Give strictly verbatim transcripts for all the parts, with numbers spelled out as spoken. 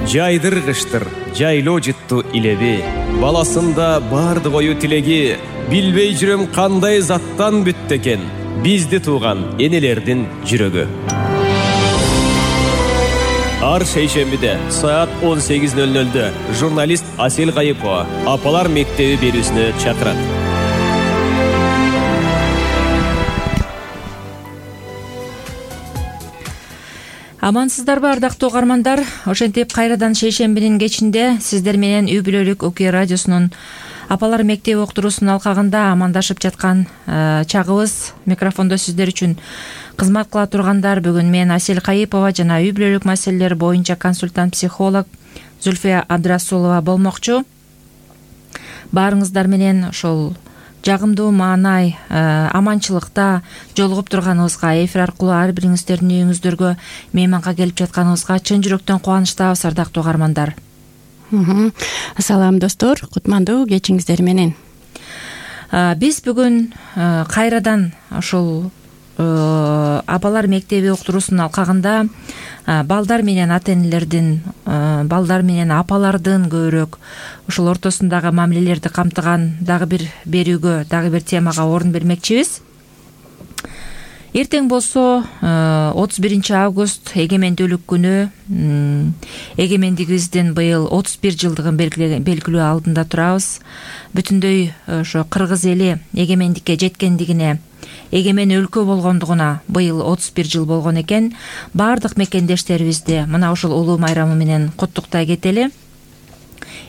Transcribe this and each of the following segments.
Жайдыргыштыр, жайлоо жытту илеби. Баласында барды кою тилеги. Билбей жүрөм кандай заттан бүттү экен бизди тууган энелердин жүрөгү. Ар шейшембиде саат он сегиз ноль нольдө журналист Асель Кайыпова Апалар мектеби берүүсүнө чакырат. Амансыздарбы ардактуу угармандар? Ошентип кайрадан шейшембинин кечинде сиздер менен Үй бүлөлүк Окуя радиосунун Апалар мектеби уктуруусунун алкагында амандашып жаткан чагыбыз. Микрофондо сиздер үчүн кызмат кыла тургандар бүгүн мен Асель Кайыпова жана үй бүлөлүк маселелер боюнча консультант психолог Зульфия Абдрасулова болмокчу. Баарыңыздар менен ошол жагымдуу маанай, аманчылыкта жолугуп турганыбызга, эфир аркылуу ар бириңиздердин үйүңүздөргө мейманга келип жатканыбызга чын жүрөктөн кубанычтабыз ардактуу угармандар. Салам достор, кутмандуу кечиңиздер менен. Биз бүгүн кайрадан ошол Апалар мектеби уктуруусунун алкагында балдар менен ата-энелердин, балдар менен апалардын көбүрөөк ушул ортосундагы мамилелерди камтыган дагы бир берүүгө, дагы бир темага орун бермекчибиз. Эртең болсо отуз биринчи август эгемендүүлүк күнү. Эгемендигибиздин быйыл отуз бир жылдыгын белгилөө алдында турабыз. Бүтүндөй ошо кыргыз эли эгемендикке жеткендигине, эгемен өлкө болгондугуна быйыл отуз бир жыл болгон экен. Баардык мекендештерибизди мына ушул улуу майрамы менен куттуктай кетели.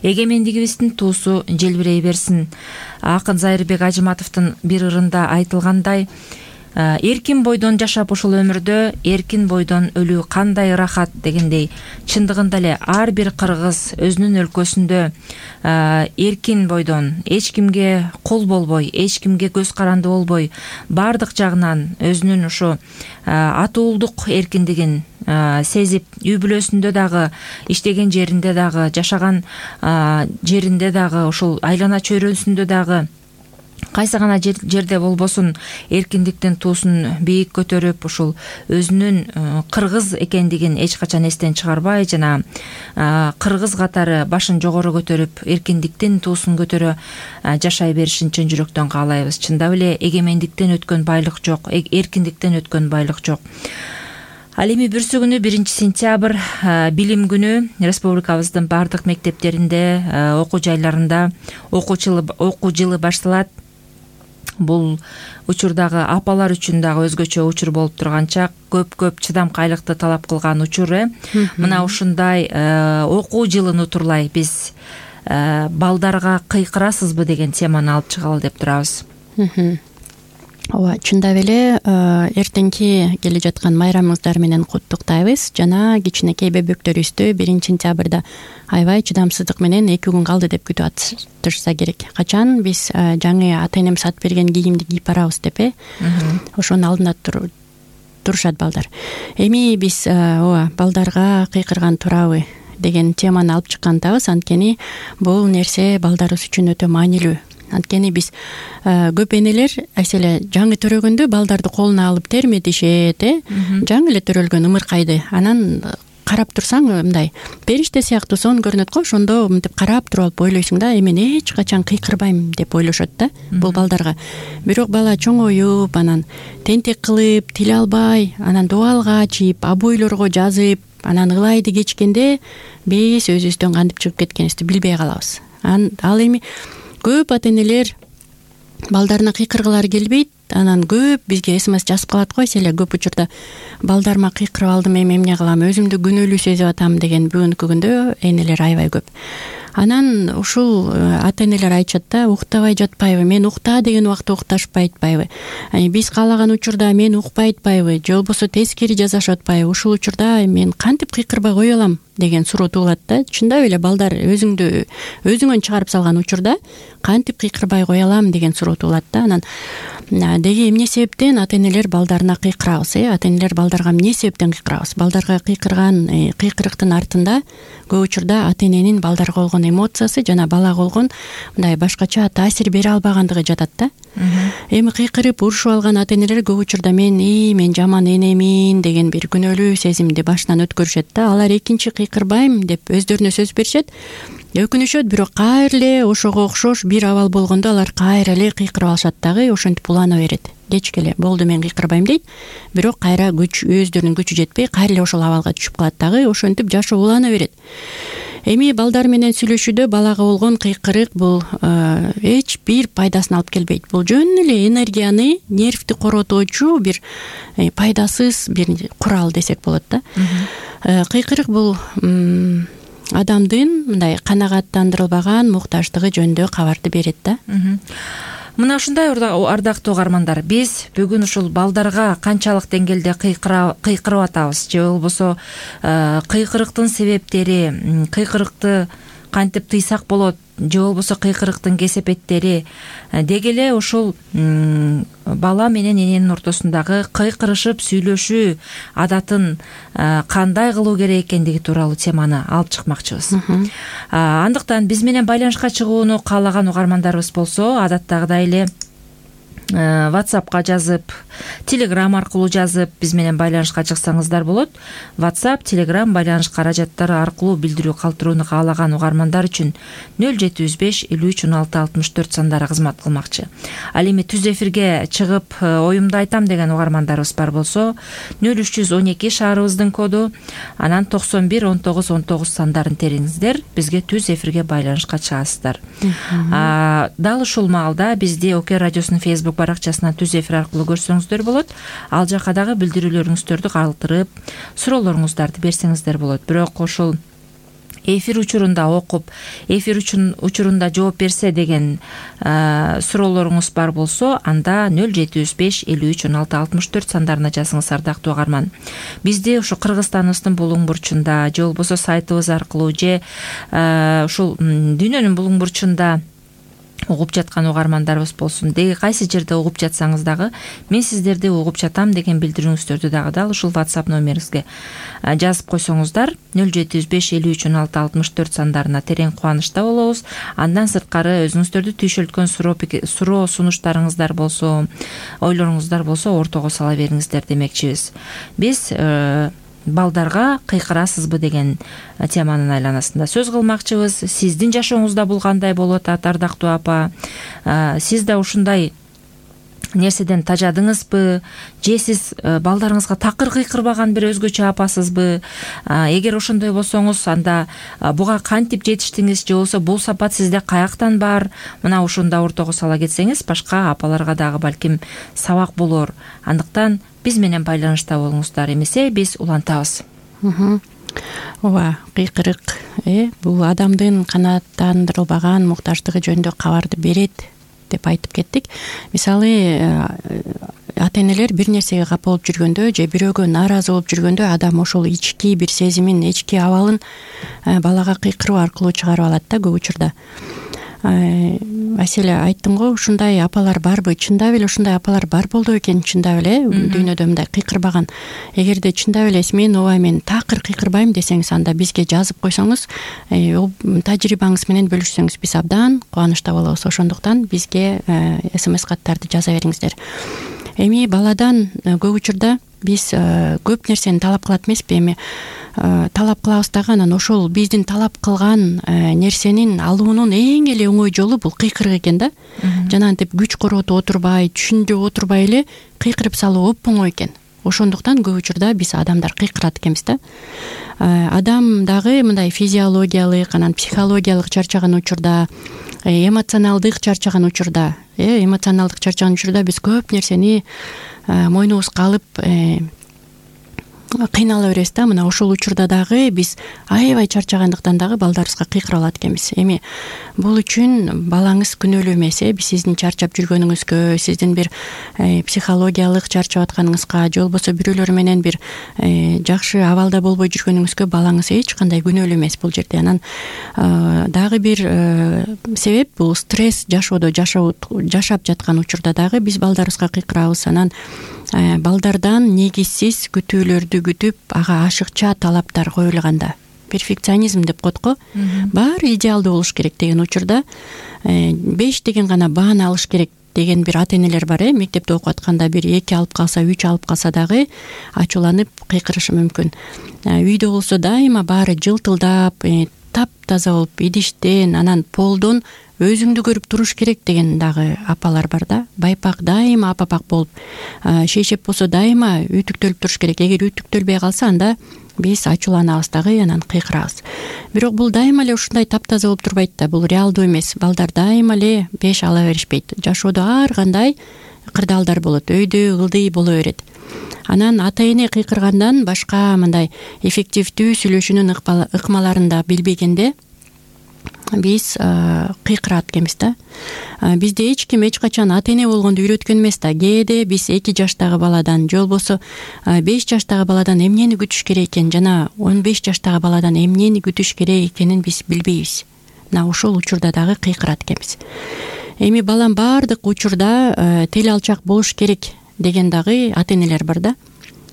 Эгемендигибиздин туусу желбирей берсин. Акын Зайырбек Ажыматовдун бир ырында айтылгандай, эркин бойдон жашап ушул өмүрдө эркин бойдон өлүү кандай ырахат дегендей, чындыгында эле ар бир кыргыз өзүнүн өлкөсүндө эркин бойдон, эч кимге кул болбой, эч кимге көз каранды болбой, баардык жагынан өзүнүн ушу атуулдук эркиндигин сезип, үй бүлөсүндө дагы, иштеген жеринде дагы, жашаган жеринде дагы, ушул айлана чөйрөсүндө дагы кайсы гана жерде болбосун эркиндиктин туусун бийик көтөрүп, ушул өзүнүн кыргыз экендигин эч качан эстен чыгарбай жана кыргыз катары башын жогору көтөрүп, эркиндиктин туусун көтөрө жашай беришин чын жүрөктөн каалайбыз. Чындап эле эгемендиктен өткөн байлык жок, эркиндиктен өткөн байлык жок. Ал эми бүрсү күнү биринчи сентябрь билим күнү республикабыздын баардык мектептеринде, окуу жайларында окуу жылы башталат. Бул учурдагы апалар үчүн дагы өзгөчө учур болуп турган чак, көп-көп чыдамкайлыкты талап кылган учур. Мына ушундай окуу жылын утурлай биз балдарга кыйкырасызбы деген теманы алып чыгалы деп турабыз. Ооба, чындап эле эртеңки келе жаткан майрамыңыздар менен куттуктайбыз. Жана кичинекей бөбөктөрүбүздү биринчи сентябрда аябай чыдамсыздык менен эки күн калды деп күтүп атышса керек. Качан биз жаңы ата-энем сатып берген кийимди кийип барабыз деп э ошонун алдында турушат балдар. Эми биз ооба балдарга кыйкырган турабы деген теманы алып чыккандабыз. Анткени бул нерсе балдарыбыз үчүн өтө маанилүү. Анткени биз көп энелер айселе жаңы төрөгөндө балдарды колуна алып терметишет, э жаңы эле төрөлгөн ымыркайды. Анан карап турсаң мындай периште сыяктуу сон көрүнөт го. Ошондо мынтип карап туруп алып ойлойсуң да, эми эч качан кыйкырбайм деп ойлошот да бул балдарга. Бирок бала чоңоюп, анан тентек кылып, тил албай, анан дубалга ачып, абойлорго жазып, анан ылайды кечкенде биз өзүбүздөн кантип чыгып кеткенибизди билбей калабыз. Ал эми көп ата-энелер балдарына кыйкыргылары келбейт. Анан көп бизге смс жазып калат го. Эселе көп учурда балдарыма кыйкырып алдым, эми эмне кылам, өзүмдү күнөөлүү сезип атам деген бүгүнкү күндө энелер аябай көп. Анан ушул ата-энелер айтышат да, уктабай жатпайбы, мен укта деген убакта укташпай атпайбы, биз каалаган учурда мен укпай атпайбы, же болбосо тескери жасашып атпайбы, ушул учурда мен кантип кыйкырбай кое алам деген суроо туулат да. Чындап эле балдар өзүңдү өзүңөн чыгарып салган учурда кантип кыйкырбай кое алам деген суроо туулат да. Анан деги эмне себептен ата-энелер балдарына кыйкырабыз, э ата-энелер балдарга эмне себептен кыйкырабыз? Балдарга кыйкырган кыйкырыктын артында көп учурда ата-эненин балдарга болгон болгон эмоциясы жана балага болгон мындай башкача таасир бере албагандыгы жатат да. Эми кыйкырып урушуп алган ата энелер көп учурда мен ии мен жаман энемин деген бир күнөөлүү сезимди башынан өткөрүшөт да. Алар экинчи кыйкырбайм деп өздөрүнө сөз беришет, өкүнүшөт, бирок кайра эле ошого окшош бир абал болгондо алар кайра эле кыйкырып алышат дагы, ошентип улана берет. Кечке эле болду мен кыйкырбайм дейт, бирок кайра күч өздөрүнүн күчү жетпей кайра эле ошол абалга түшүп калат дагы, ошентип жашоо улана берет. Эми балдар менен сүйлөшүүдө балага болгон кыйкырык бул эч бир пайдасын алып келбейт. Бул жөн эле энергияны, нервти коротуучу бир пайдасыз бир курал десек болот да. Кыйкырык бул адамдын мындай канагаттандырылбаган муктаждыгы жөнүндө кабарды берет да. Мына ушундай ардактуу угармандар, биз бүгүн ушул балдарга канчалык деңгээлде кыйкырып атабыз же болбосо кыйкырыктын себептери, кыйкырыкты кантип тыйсак болот же болбосо кыйкырыктын кесепеттери деги эле ушул бала менен эненин ортосундагы кыйкырышып сүйлөшүү адатын кандай кылуу керек экендиги тууралуу теманы алып чыкмакчыбыз. Андыктан биз менен байланышка чыгууну каалаган угармандарыбыз болсо, адаттагыдай эле WhatsAppка жазып, Telegram аркылуу жазып биз менен байланышка чыксаңыздар болот. WhatsApp, Telegram байланыш каражаттары аркылуу билдирүү калтырууну каалаган угармандар үчүн нөл жети жүз беш элүү үч он алты алтымыш төрт сандары кызмат кылмакчы. Ал эми түз эфирге чыгып оюмду айтам деген угармандарыбыз бар болсо, нөл үч жүз он эки шаарыбыздын коду, анан токсон бир он тогуз он тогуз сандарын териңиздер, бизге түз эфирге байланышка чыгасыздар. Дал ушул маалда бизди ОК радиосунун Facebook баракчасынан түз эфир аркылуу көрсөңүздөр болот. Ал жака дагы билдирүүлөрүңүздөрдү калтырып, суроолоруңуздарды берсеңиздер болот. Бирок ошол эфир учурунда окуп, эфир учурунда жооп берсе деген суроолоруңуз бар болсо, анда нөл жети жүз беш элүү үч он алты алтымыш төрт сандарына жазыңыз, ардактуу угарман. Бизди ушу Кыргызстаныбыздын булуң бурчунда же болбосо сайтыбыз аркылуу же ушул дүйнөнүн булуң бурчунда угуп жаткан угармандарыбыз болсун, деги кайсы жерде угуп жатсаңыз дагы мен сиздерди угуп жатам деген билдирүүңүздөрдү дагы дал ушул WhatsApp номериңизге жазып койсоңуздар, нөл жети жүз беш элүү үч он алты алтымыш төрт сандарына терең кубанычта болобуз. Андан сырткары өзүңүздөрдү түйшөлткөн суроо сунуштарыңыздар болсо, ойлоруңуздар болсо ортого сала бериңиздер демекчибиз. Биз балдарга кыйкырасызбы деген теманын айланасында сөз кылмакчыбыз. Сиздин жашооңузда бул кандай болуп атат, ардактуу апа? Сиз да ушундай нерседен тажадыңызбы, же сиз балдарыңызга такыр кыйкырбаган бир өзгөчө апасызбы? Эгер ошондой болсоңуз, анда буга кантип жетиштиңиз, же болбосо бул сапат сизде каяктан бар? Мына ушунда ортого сала кетсеңиз, башка апаларга дагы балким сабак болор. Андыктан биз менен байланышта болуңуздар, эмесе биз улантабыз. Ооба, кыйкырык бул адамдын канааттандырылбаган муктаждыгы жөнүндө кабарды берет деп айтып кеттик. Мисалы, ата энелер бир нерсеге капа болуп жүргөндө же бирөөгө нааразы болуп жүргөндө адам ошол ички бир сезимин, ички абалын балага кыйкыруу аркылуу чыгарып алат да көп учурда. Аселе, айттың го, ушундай апалар барбы? Чындап эле ушундай апалар бар болду экен, чындап эле дүйнөдө мындай кыйкырбаган. Эгерде чындап эле мен ооба мен такыр кыйкырбайм десеңиз, анда бизге жазып койсоңуз, тажрыйбаңыз менен бөлүшсөңүз, биз абдан кубанычта болобуз. Ошондуктан бизге смс каттарды жаза бериңиздер. Эми баладан көп учурда биз көп нерсени талап кылат эмеспи? Эми талап кылабыз дагы, анан ошол биздин талап кылган нерсенин алуунун эң эле оңой жолу бул кыйкырык экен да. Жана антип күч коротуп отурбай, түшүндүрүп отурбай эле кыйкырып салуу оп оңой экен. Ошондуктан көп учурда биз адамдар кыйкырат экенбиз да. Адам дагы мындай физиологиялык, анан психологиялык чарчаган учурда, эмоционалдык чарчаган учурда, эмоционалдык чарчаган учурда биз көп нерсени мойнубузга алып кыйнала беребиз да. Мына ошол учурда дагы биз аябай чарчагандыктан дагы балдарыбызга кыйкырып алат экенбиз. Эми бул үчүн балаңыз күнөөлүү эмес, биз сиздин чарчап жүргөнүңүзгө, сиздин бир психологиялык чарчап атканыңызга, же болбосо бирөөлөр менен бир жакшы абалда болбой жүргөнүңүзгө балаңыз эч кандай күнөөлүү эмес бул жерде. Анан дагы бир себеп бул стресс жашоодо жашап жаткан учурда дагы биз балдарыбызга кыйкырабыз. Анан балдардан негизсиз күтүүлөрдү күтүп, ага ашыкча талаптар коюлганда, перфекционизм деп коет го. Баары идеалдуу болуш керек деген учурда беш деген гана бааны алыш керек деген бир ата энелер бар. э Мектепте окуп атканда бир эки алып калса, үч алып калса дагы ачууланып кыйкырышы мүмкүн. Үйдө болсо дайыма баары жылтылдап, таптаза болуп, идиштен, анан полдон өзүңдү көрүп туруш керек деген дагы апалар бар да. Байпак дайыма апапак болуп, шейшеп болсо дайыма үтүктөлүп туруш керек. Эгер үтүктөлбөй калса, анда биз ачууланабыз дагы, анан кыйкырабыз. Бирок бул дайыма эле ушундай таптаза болуп турбайт да. Бул реалдуу эмес. Балдар дайыма эле беш ала беришпейт. Жашоодо ар кандай кырдаалдар болот. Өйдө ылдый боло берет. Анан ата эне кыйкыргандан башка мындай эффективдүү сүйлөшүүнүн ыкмаларын да билбегенде биз кыйкырат экенбиз да. Бизде эч ким эч качан ата эне болгонду үйрөткөн эмес да. Кээде биз эки жаштагы баладан же болбосо беш жаштагы баладан эмнени күтүш керек экен жана он беш жаштагы баладан эмнени күтүш керек экенин биз билбейбиз. Мына ошол учурда дагы кыйкырат экенбиз. Эми балам баардык учурда тил алчак болуш керек деген дагы ата энелер бар да.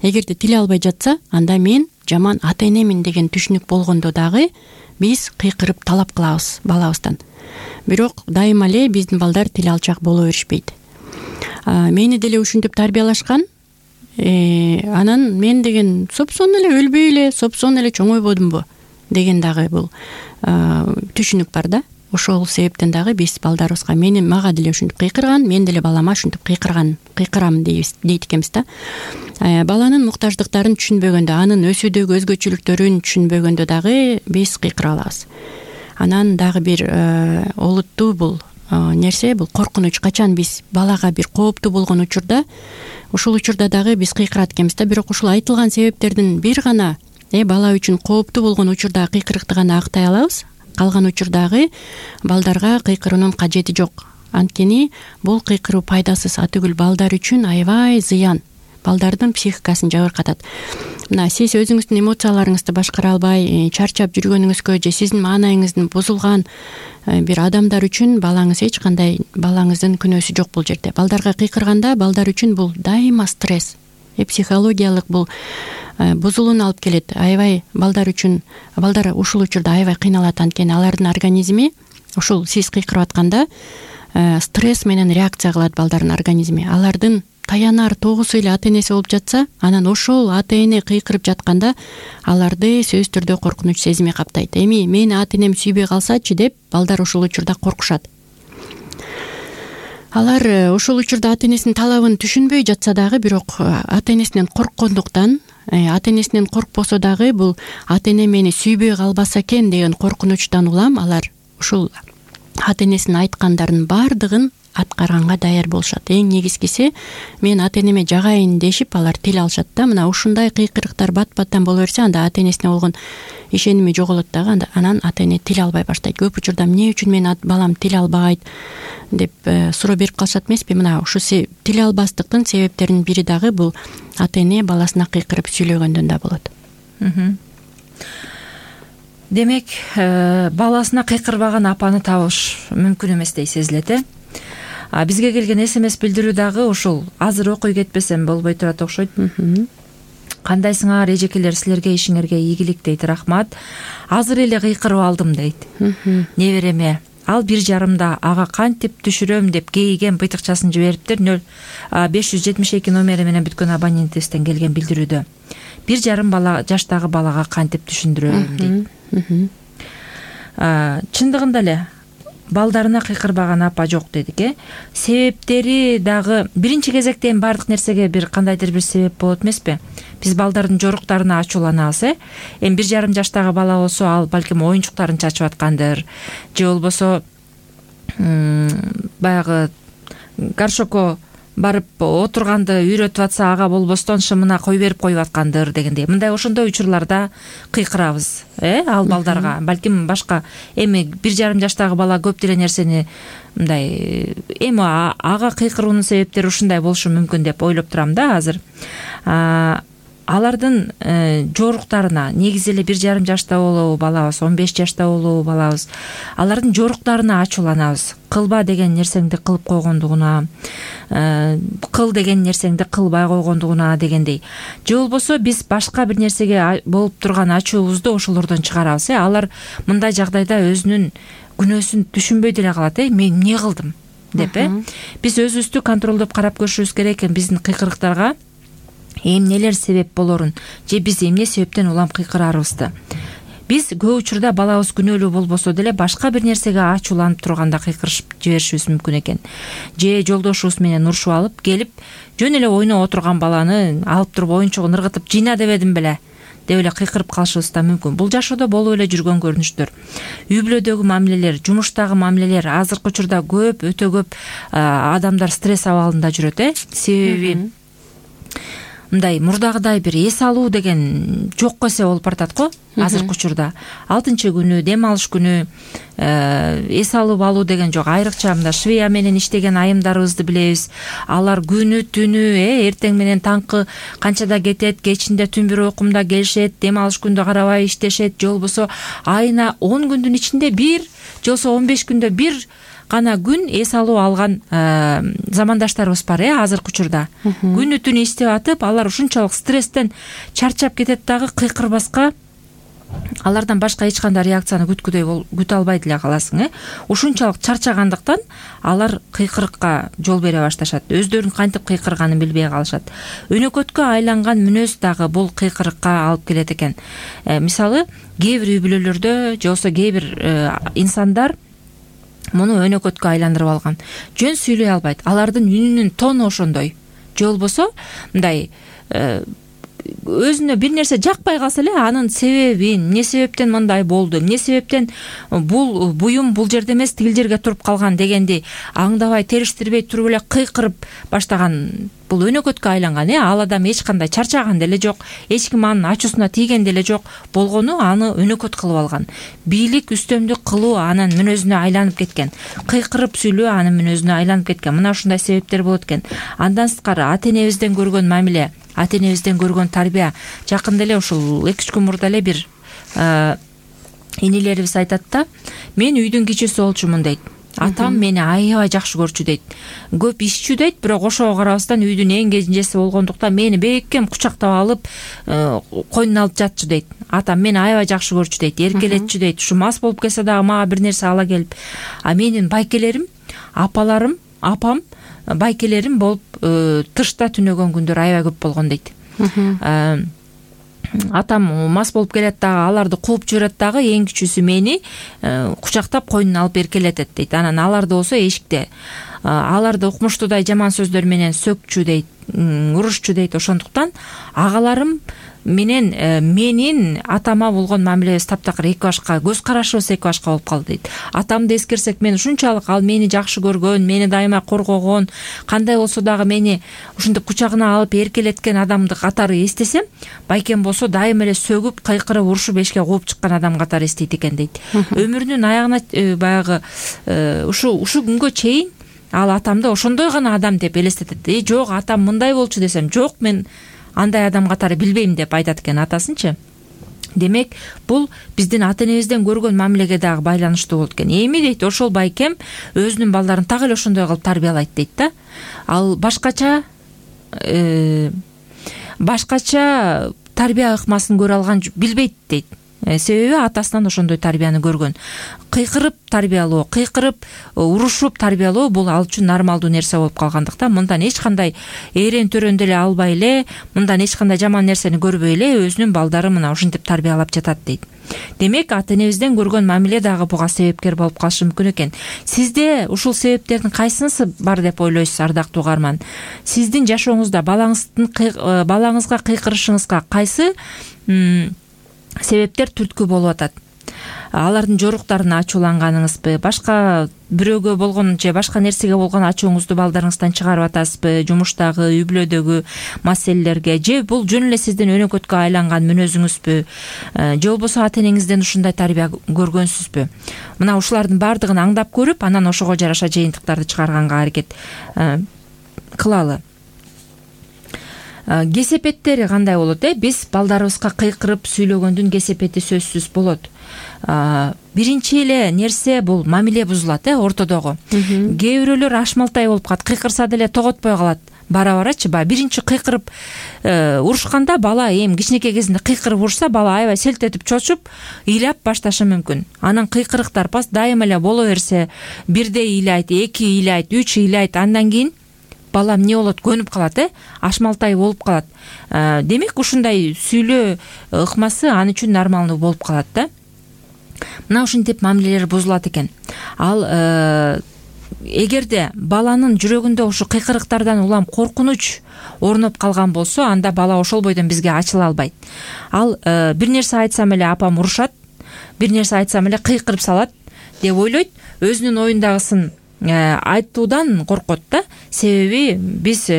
Эгерде тил албай жатса, анда мен жаман ата энемин деген түшүнүк болгондо дагы биз кыйкырып талап кылабыз балабыздан. Бирок дайыма эле биздин балдар тил алчак боло беришпейт. Мени деле ушинтип тарбиялашкан. Анан мен деген сопсон эле өлбөй эле, сопсон эле чоңойбодумбу деген дагы бул түшүнүк бар да. Ошол себептен дагы биз балдарыбызга мени мага деле ушинтип кыйкырган, мен деле балама ушинтип кыйкырган, кыйкырам дейт экенбиз да. Баланын муктаждыктарын түшүнбөгөндө, анын өсүүдөгү өзгөчөлүктөрүн түшүнбөгөндө дагы биз кыйкыра алабыз. Анан дагы бир олуттуу бул нерсе, бул коркунуч. Качан биз балага бир кооптуу болгон учурда, ушул учурда дагы биз кыйкырат экенбиз да. Бирок ушул айтылган себептердин бир гана э бала үчүн кооптуу болгон учурда кыйкырыкты гана актай алабыз. Калган учурдагы балдарга кыйкыруунун кажети жок. Анткени бул кыйкыруу пайдасыз, атүгүл балдар үчүн аябай зыян. Балдардын психикасын жабыркатат. Мына сиз өзүңүздүн эмоцияларыңызды башкара албай, чарчап жүргөнүңүзгө же сиздин маанайыңыздын бузулган бир адамдар үчүн балаңыз эч кандай балаңыздын күнөөсү жок бул жерде. Балдарга кыйкырганда балдар үчүн бул дайыма стресс. Э психологиялык бул бузулууну алып келет. Аябай балдар үчүн, балдар ушул учурда аябай кыйналат, анткени алардын организми ушул сиз кыйкырып атканда стресс менен реакция кылат балдардын организми. Алардын таянар тогусу эле ата энеси болуп жатса, анан ошол ата эне кыйкырып жатканда аларды сөзсүз түрдө коркунуч сезими каптайт. Эми мени ата энем сүйбөй калсачы деп балдар ушул учурда коркушат. Алар ушул учурда ата энесинин талабын түшүнбөй жатса дагы, бирок ата энесинен корккондуктан, ата энесинен коркпосо дагы бул ата эне мени сүйбөй калбаса экен деген коркунучтан улам алар ушул ата энесинин айткандарын баардыгын аткарганга даяр болушат. Эң негизгиси мен ата энеме жагайын дешип алар тил алышат да. Мына ушундай кыйкырыктар бат-баттан боло берсе, анда ата энесине болгон ишеними жоголот дагы, анан ата эне тил албай баштайт. Көп учурда эмне үчүн менин балам тил албайт деп суроо берип калышат эмеспи? Мына ушу тил албастыктын себептеринин бири дагы бул ата эне баласына кыйкырып сүйлөгөндөн да болот. Демек, баласына кыйкырбаган апаны табыш мүмкүн эмес дей сезилет, э? Бизге келген эс эм эс билдирүү дагы ушул. Азыр окуй кетпесем болбой турат окшойт. Кандайсыңар эжекелер, силерге ишиңерге ийгилик дейт. Рахмат. Азыр эле кыйкырып алдым дейт. Небереме ал бир жарымда ага кантип түшүрөм деп кейиген быйтыкчасын жибериптир. нөл беш жүз жетимиш эки номери менен бүткөн абонентибизден келген билдирүүдө. Бир жарым бала жаштагы балага кантип түшүндүрөм дейт. Чындыгында эле балдарына кыйкырбаган апа жок дедик, э? Себептери дагы биринчи кезекте эми бардык нерсеге бир кандайдыр бир себеп болот эмеспи? Биз балдардын жоруктарына ачууланабыз, э? Эми бир жарым жаштагы бала болсо, ал балким оюнчуктарын чачып аткандыр, же болбосо баягы горшокко барып отурганды үйрөтүп атса, ага болбостон шымына кой берип коюп аткандыр дегендей. Мындай ошондой учурларда кыйкырабыз, э, ал балдарга. Балким башка эми бир жарым жаштагы бала көп деле нерсени мындай эми ага кыйкыруунун себептери ушундай болушу мүмкүн деп ойлоп турам да азыр. алардын жоруктарына, негизи эле бир жарым жашта болобу балабыз, он беш жашта болобу балабыз, алардын жоруктарына ачууланабыз. Кылба деген нерсеңди кылып койгондугуна, кыл деген нерсеңди кылбай койгондугуна дегендей. Же болбосо биз башка бир нерсеге болуп турган ачуубузду ошолордон чыгарабыз. Алар мындай жагдайда өзүнүн күнөөсүн түшүнбөй деле калат. Э, мен эмне кылдым деп, э? Биз өзүбүздү контролдоп карап көрүшүбүз керек экен. Биздин кыйкырыктарга эмнелер себеп болорун, же биз эмне себептен улам кыйкырарыбызды. Биз көп учурда балабыз күнөөлүү болбосо деле башка бир нерсеге ачууланып турганда кыйкырышып жиберишибиз мүмкүн экен. Же жолдошубуз менен урушуп алып келип, жөн эле ойноп отурган баланы алып туруп оюнчугун ыргытып жыйна дебедим беле деп эле кыйкырып калышыбыз да мүмкүн. Бул жашоодо болуп эле жүргөн көрүнүштөр. Үй бүлөдөгү мамилелер, жумуштагы мамилелер азыркы учурда көп, өтө көп адамдар стресс абалында жүрөт, э? Себеби мындай мурдагыдай бир эс алуу деген жокко эсе болуп баратат го азыркы учурда. Алтынчы күнү, дем алыш күнү эс алып алуу деген жок. Айрыкча мында Швея менен иштеген айымдарыбызды билебиз. Алар күнү түнү, э, эртең менен таңкы канчада кетет, кечинде түн бир окумда келишет, дем алыш күндө карабай иштешет, же болбосо айына он күндүн ичинде бир, же болбосо он беш күндө бир гана күн эс алуу алган замандаштарыбыз бар, э, азыркы учурда. Күнү түнү иштеп атып, алар ушунчалык стресстен чарчап кетет дагы, кыйкырбаска алардан башка эч кандай реакцияны күткүдөй күтө албай деле каласың, э. Ушунчалык чарчагандыктан алар кыйкырыкка жол бере башташат. Өздөрүнүн кантип кыйкырганын билбей калышат. Өнөкөткө айланган мүнөз дагы бул кыйкырыкка алып келет экен. Мисалы, кээ бир үй бүлөлөрдө, же болбосо кээ бир инсандар муну өнөкөткө айландырып алган. Жөн сүйлөй албайт. Алардын үнүнүн тону ошондой. Же болбосо мындай өзүнө бир нерсе жакпай калса эле анын себебин, эмне себептен мындай болду, эмне себептен бул буюм бул жерде эмес тигил жерге туруп калган дегенди аңдабай, териштирбей туруп эле кыйкырып баштаган бул өнөкөткө айланган, э. Ал адам эч кандай чарчаган деле жок, эч ким анын ачуусуна тийген деле жок. Болгону аны өнөкөт кылып алган. Бийлик, үстөмдүк кылуу анын мүнөзүнө айланып кеткен. Кыйкырып сүйлөө анын мүнөзүнө айланып кеткен. Мына ушундай себептер болот экен. Андан сырткары ата-энебизден көргөн мамиле, ата-энебизден көргөн тарбия. Жакында эле ушул эки үч күн мурда эле бир инилерибиз айтат да, мен үйдүн кичүүсү болчумун дейт. Атам мени аябай жакшы көрчү дейт. Көп ишчү дейт, бирок ошого карабастан үйдүн эң кенжеси болгондуктан мени бекем кучактап алып, койнуна алып жатчу дейт. Атам мени аябай жакшы көрчү дейт, эркелетчү дейт. Ушу мас болуп келсе дагы мага бир нерсе ала келип, а менин байкелерим, апаларым, апам, байкелерим болуп тышта түнөгөн күндөр аябай көп болгон дейт. Атам мас болуп келет дагы, аларды кууп жиберет дагы, эң кичүүсү мени кучактап койнуна алып эркелетет дейт. Анан аларды болсо эшикте аларды укмуштуудай жаман сөздөр менен сөкчү дейт, урушчу дейт. Ошондуктан агаларым менен менин атама болгон мамилебиз таптакыр эки башка, көз карашыбыз эки башка болуп калды дейт. Атамды эскерсек, мен ушунчалык ал мени жакшы көргөн, мени дайыма коргогон, кандай болсо дагы мени ушинтип кучагына алып эркелеткен адамды катары эстесем, байкем болсо дайыма эле сөгүп, кыйкырып, урушуп эшикке кууп чыккан адам катары эстейт экен дейт. Өмүрүнүн аягына баягы ушу ушу күнгө чейин ал атамды ошондой гана адам деп элестетет. Э, жок, атам мындай болчу десем, жок, мен андай адам катары билбейм деп айтат экен атасынчы. Демек, бул биздин ата-энебизден көргөн мамилеге дагы байланыштуу болот экен. Эми дейт, ошол байкем өзүнүн балдарын так эле ошондой кылып тарбиялайт дейт да. Ал башкача башкача тарбия ыкмасын көрө алган билбейт дейт. Себеби атасынан ошондой тарбияны көргөн. Кыйкырып тарбиялоо, кыйкырып урушуп тарбиялоо бул ал үчүн нормалдуу нерсе болуп калгандыктан мындан эч кандай эрен төрөн деле албай эле, мындан эч кандай жаман нерсени көрбөй эле өзүнүн балдары мына ушинтип тарбиялап жатат дейт. Демек, ата-энебизден көргөн мамиле дагы буга себепкер болуп калышы мүмкүн экен. Сизде ушул себептердин кайсынысы бар деп ойлойсуз, ардактуу угарман? Сиздин жашооңузда балаңыздын балаңызга кыйкырышыңызга кайсы себептер түрткү болуп атат? Алардын жоруктарына ачууланганыңызбы, башка бирөөгө болгон же башка нерсеге болгон ачууңузду балдарыңыздан чыгарып атасызбы, жумуштагы, үй бүлөдөгү маселелерге, же бул жөн эле сиздин өнөкөткө айланган мүнөзүңүзбү, же болбосо ата-энеңизден ушундай тарбия көргөнсүзбү? Мына ушулардын баардыгын аңдап көрүп, анан ошого жараша жыйынтыктарды чыгарганга аракет кылалы. кесепеттери кандай болот? э Биз балдарыбызга кыйкырып сүйлөгөндүн кесепети сөзсүз болот. Биринчи эле нерсе бул мамиле бузулат э ортодогу. Кээ бирөөлөр ашмалтай болуп калат, кыйкырса деле тоготпой калат. Бара барачы баягы биринчи кыйкырып урушканда бала эми кичинекей кезинде кыйкырып урушса бала аябай селт этип чочуп ыйлап башташы мүмкүн. Анан кыйкырыктар дайыма эле боло берсе, бирде ыйлайт, эки ыйлайт, үч ыйлайт, андан кийин бала эмне болот, көнүп калат, э ашмалтай болуп калат. Демек ушундай сүйлөө ыкмасы аны үчүн нормалдуу болуп калат да. Мына ушинтип мамилелер бузулат экен. Ал эгерде баланын жүрөгүндө ушу кыйкырыктардан улам коркунуч орноп калган болсо, анда бала ошол бойдон бизге ачыла албайт. Ал бир нерсе айтсам эле апам урушат, бир нерсе айтсам эле кыйкырып салат деп ойлойт. Өзүнүн оюндагысын айтуудан коркот да. Себеби биз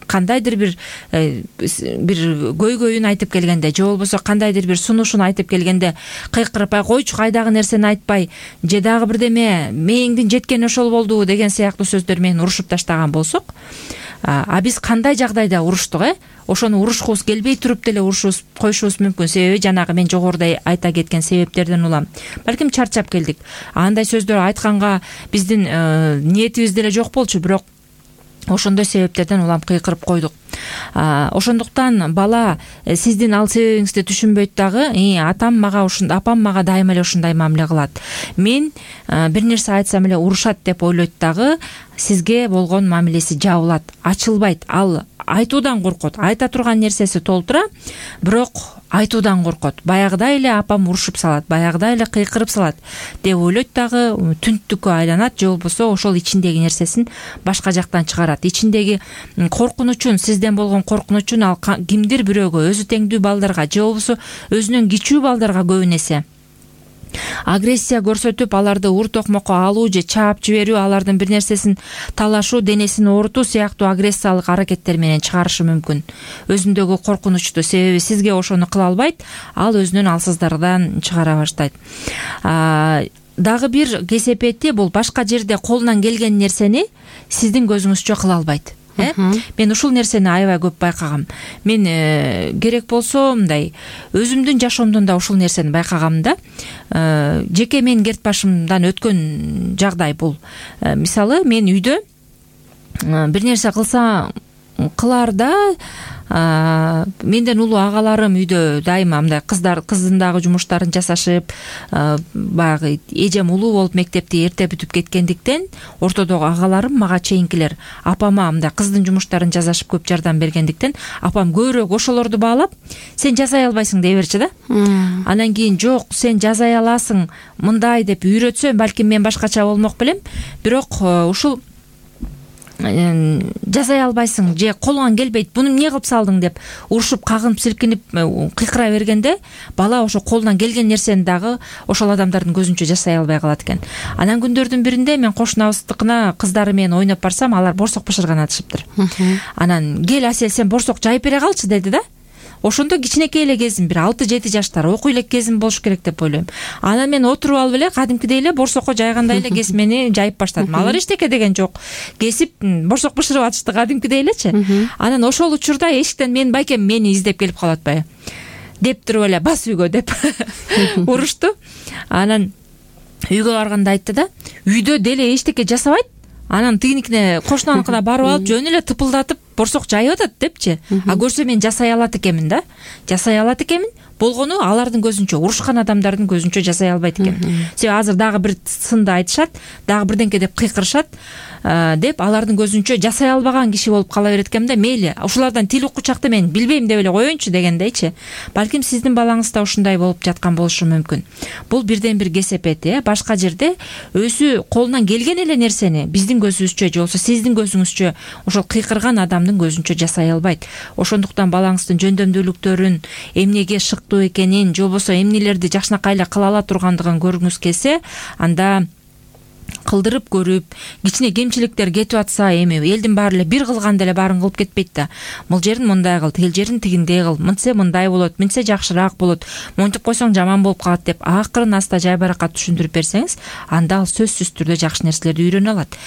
кандайдыр бир бир көйгөйүн айтып келгенде же болбосо кандайдыр бир сунушун айтып келгенде кыйкырып ай койчу, кайдагы нерсени айтпай, же дагы бирдеме мээңдин жеткени ошол болду деген сыяктуу сөздөр менен урушуп таштаган болсок, а биз кандай жагдайда уруштук, э ошону урушкубуз келбей туруп деле урушубуз коюшубуз мүмкүн. Себеби жанагы мен жогоруда айта кеткен себептерден улам балким чарчап келдик. Андай сөздөр айтканга биздин ниетибиз деле жок болчу, бирок ошондой себептерден улам кыйкырып койдук. Ошондуктан бала сиздин ал себебиңизди түшүнбөйт дагы, атам мага ушундай, апам мага дайыма эле ушундай мамиле кылат, мен бир нерсе айтсам эле урушат деп ойлойт дагы, сизге болгон мамилеси жабылат, ачылбайт. Ал айтуудан коркот, айта турган нерсеси толтура, бирок айтуудан коркот. Баягыдай эле апам урушуп салат, баягыдай эле кыйкырып салат деп ойлойт дагы, түнттүккө айланат, же болбосо ошол ичиндеги нерсесин башка жактан чыгарат. Ичиндеги коркунучун, сизден болгон коркунучун ал кимдир бирөөгө, өзү теңдүү балдарга же болбосо өзүнөн кичүү балдарга көбүн эсе агрессия көрсөтүп, аларды ур токмокко алуу же чаап жиберүү, алардын бир нерсесин талашуу, денесин оорутуу сыяктуу агрессиялык аракеттер менен чыгарышы мүмкүн өзүндөгү коркунучту. Себеби сизге ошону кыла албайт, ал өзүнүн алсыздардан чыгара баштайт. Дагы бир кесепети бул башка жерде колунан келген нерсени сиздин көзүңүзчө кыла албайт. Э? Мен ушул нерсени аябай көп байкагам. Мен э, керек болсо мындай өзүмдүн жашоомдон да ушул нерсени байкагам да. Э, жеке мен керт башымдан өткөн жагдай бул. Э, мисалы мен үйдө э, бир нерсе кылса кыларда менден улуу агаларым үйдө дайыма мындай кыздар кыздын жумуштарын жасашып, баягы эжем улуу болуп мектепти эрте бүтүп кеткендиктен ортодогу агаларым мага чейинкилер апама мындай кыздын жумуштарын жасашып көп жардам бергендиктен апам көбүрөөк ошолорду баалап, сен жасай албайсың дей берчү да. Анан кийин жок, сен жасай аласың мындай деп үйрөтсө, балким мен башкача болмок белем, бирок ушул жасай албайсың же колуңан келбейт, буну эмне кылып салдың деп урушуп, кагынып, силкинип, кыйкыра бергенде бала ошо колунан келген нерсени дагы ошол адамдардын көзүнчө жасай албай калат экен. Анан күндөрдүн биринде мен кошунабыздыкына кыздары менен ойноп барсам, алар борсок бышырган атышыптыр. Анан кел Асел, сен борсок жайып бере калчы деди да. Ошондо кичинекей эле кезим, бир алты жети жаштар, окуй элек кезим болуш керек деп ойлойм. Анан мен отуруп алып эле кадимкидей эле борсокко жайгандай эле кесмени жайып баштадым. Алар эчтеке деген жок. Кесип борсок бышырып атышты кадимкидей элечи. Анан ошол учурда эшиктен мен байкем мени издеп келип калып атпайбы деп туруп эле бас үйгө деп урушту. Анан үйгө барганда айтты да, үйдө деле эчтеке жасабайт. Анан тигиникине кошунаныкына барып алып жөн эле тыпылдатып борсок жайып атат депчи. А көрсө мен жасай алат экенмин да. Жасай алат экенмин. Болгону алардын көзүнчө, урушкан адамдардын көзүнчө жасай албайт экен. Себеби азыр дагы бир сынды айтышат, дагы бирденке деп кыйкырышат деп алардын көзүнчө жасай албаган киши болуп кала берет экен да. Мейли, ушулардан тил уккучакты мен билбейм деп эле коеюнчу дегендейчи. Балким сиздин балаңыз да ушундай болуп жаткан болушу мүмкүн. Бул бирден бир кесепет, э. Башка жерде өзү колунан келген эле нерсени биздин көзүбүзчө же болбосо сиздин көзүңүзчө ошол кыйкырган адамдын көзүнчө жасай албайт. Ошондуктан балаңыздын жөндөмдүүлүктөрүн, эмнеге шыктуу экенин, же болбосо эмнелерди жакшынакай эле кыла ала тургандыгын көргүңүз келсе, анда кылдырып көрүп, кичине кемчиликтер кетип атса, эми элдин баары эле бир кылганда эле баарын кылып кетпейт да. Бул жерин мындай кыл, тил жерин тигиндей кыл, мынтсе мындай болот, мынтсе жакшыраак болот, монтип койсоң жаман болуп калат деп акырын аста жайбаракат түшүндүрүп берсеңиз, анда ал сөзсүз түрдө жакшы нерселерди үйрөнө алат.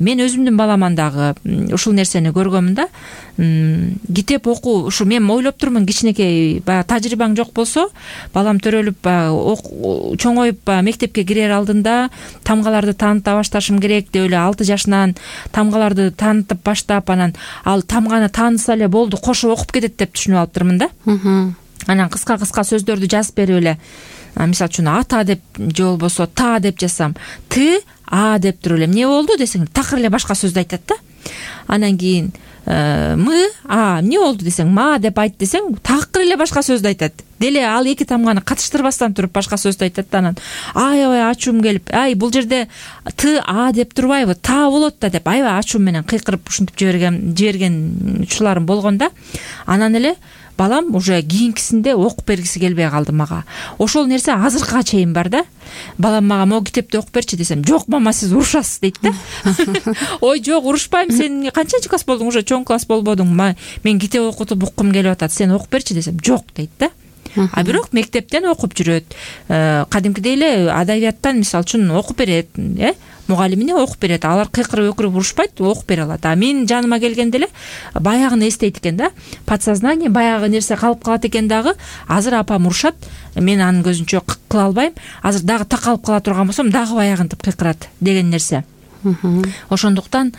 Мен өзүмдүн баламан дагы ушул нерсени көргөмүн да. Китеп окуу, ушу мен ойлоп турмун, кичинекей баягы тажрыйбаң жок болсо, балам төрөлүп чоңоюп мектепке кирер алдында тамгаларды тааныта башташым керек деп эле алты жашынан тамгаларды таанытып баштап, анан ал тамганы тааныса эле болду, кошо окуп кетет деп түшүнүп алыптырмын да. Анан кыска-кыска сөздөрдү жазып берип эле, мисалы үчүн ата деп же болбосо та деп жазсам, т а деп туруп эле эмне болду десең, такыр эле башка сөздү айтат да. Анан кийин мы а эмне болду десең, ма деп айт десең, такыр эле башка сөздү айтат. Деле ал эки тамганы катыштырбастан туруп башка сөздү айтат да. Анан аябай ачуум келип, ай бул жерде т а деп турбайбы, та болот да деп аябай ачуум менен кыйкырып ушинтип жиберген жиберген учурларым болгон да. Анан эле балам уже кийинкисинде окуп бергиси келбей калды мага. Ошол нерсе азыркыга чейин бар да. Балам мага могу китепти окуп берчи десем, жок мама сиз урушасыз дейт да. Ой жок, урушпайм, сен канчанчы класс болдуң, уже чоң класс болбодуң, мен китеп окутуп уккум келип атат, сен окуп берчи десем, жок дейт да. А бирок мектептен окуп жүрөт, кадимкидей эле адабияттан мисалы үчүн окуп берет, э мугалимине окуп берет, алар кыйкырып өкүрүп урушпайт, окуп бере алат. А мен жаныма келгенде эле баягыны эстейт экен да, подсознание баягы нерсе калып калат экен дагы. Азыр апам урушат, мен анын көзүнчө кыла албайм, азыр дагы такалып кала турган болсом дагы баягынтип кыйкырат деген нерсе. Ошондуктан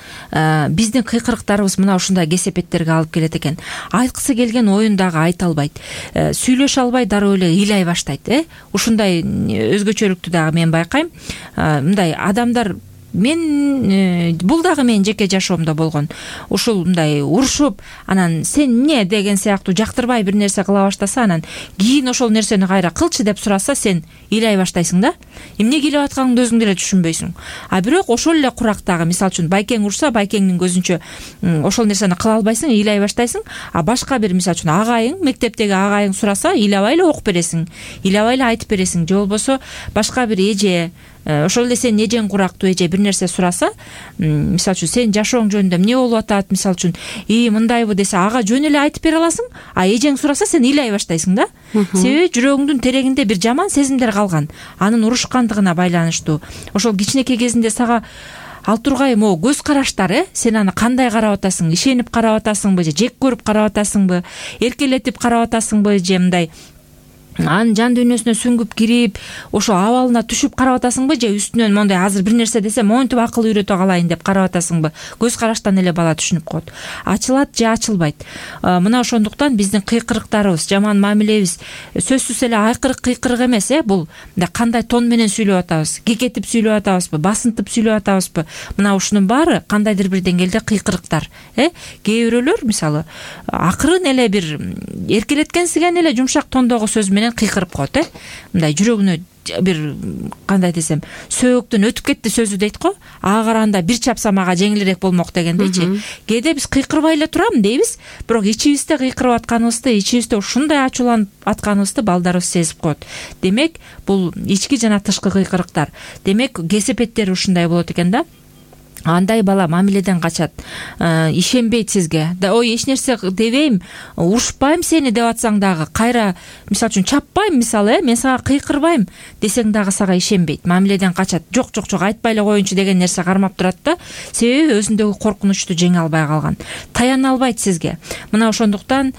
биздин кыйкырыктарыбыз мына ушундай кесепеттерге алып келет экен. Айткысы келген оюн дагы айта албайт, сүйлөшө албай дароо эле ыйлай баштайт. э Ушундай өзгөчөлүктү дагы мен байкайм. Мындай адамдар, мен бул дагы менин жеке жашоомдо болгон. Ушул мындай урушуп, анан сен эмне деген сыяктуу жактырбай бир нерсе кыла баштаса, анан кийин ошол нерсени кайра кылчы деп сураса, сен ыйлай баштайсың да. Эмне келип атканыңды өзүң деле түшүнбөйсүң. А бирок ошол эле курактагы, мисалы үчүн байкең урса, байкеңдин көзүнчө ошол нерсени кыла албайсың, ыйлай баштайсың. А башка бир, мисалы үчүн агайың, мектептеги агайың сураса, ыйлабай эле окуп бересиң, ыйлабай эле айтып бересиң. Же болбосо башка бир эже, ошол эле сенин эжең курактуу эже бир нерсе сураса, мисалы үчүн сен жашооң жөнүндө эмне болуп атат, мисалы үчүн и мындайбы десе, ага жөн эле айтып бере аласың. А эжең сураса, сен ыйлай баштайсың да. Себеби жүрөгүңдүн терегинде бир жаман сезимдер калган, анын урушкандыгына байланыштуу. Ошол кичинекей кезинде сага ал тургай могу көз караштар, э сен аны кандай карап атасың, ишенип карап атасыңбы же жек көрүп карап атасыңбы, эркелетип карап атасыңбы же мындай анын жан дүйнөсүнө сүңгүп кирип, ошо абалына түшүп карап атасыңбы же үстүнөн мондай азыр бир нерсе десе монтип акыл үйрөтө калайын деп карап атасыңбы. Көз караштан эле бала түшүнүп коет. Ачылат же ачылбайт. Мына ошондуктан биздин кыйкырыктарыбыз, жаман мамилебиз сөзсүз эле айкырык кыйкырык эмес, э бул кандай тон менен сүйлөп атабыз, кекетип сүйлөп атабызбы, басынтып сүйлөп атабызбы, мына ушунун баары кандайдыр бир деңгээлде кыйкырыктар. э Кээ бирөөлөр мисалы акырын эле бир эркелеткенсиген эле жумшак тондогу сөз менен кыйкырып коет, э мындай жүрөгүнө бир кандай десем, сөөктөн өтүп кетти сөзү дейт го. Ага караганда бир чапсам ага жеңилирээк болмок дегендейчи. Кээде биз кыйкырбай эле турам дейбиз, бирок ичибизде кыйкырып атканыбызды, ичибизде ушундай ачууланып атканыбызды балдарыбыз сезип коет. Демек, бул ички жана тышкы кыйкырыктар. Демек, кесепеттери ушундай болот экен да. Андай бала мамиледен качат, ишенбейт сизге. Да ой, эч нерсе дебейм, урушпайм сени деп атсаң дагы, кайра мисалы үчүн чаппайм, мисалы, э мен сага кыйкырбайм десең дагы сага ишенбейт. Мамиледен качат. Жок, жок, жок, айтпай эле коеюнчу деген нерсе кармап турат да. Себеби өзүндөгү коркунучту жеңе албай калган. Таяна албайт сизге. Мына ошондуктан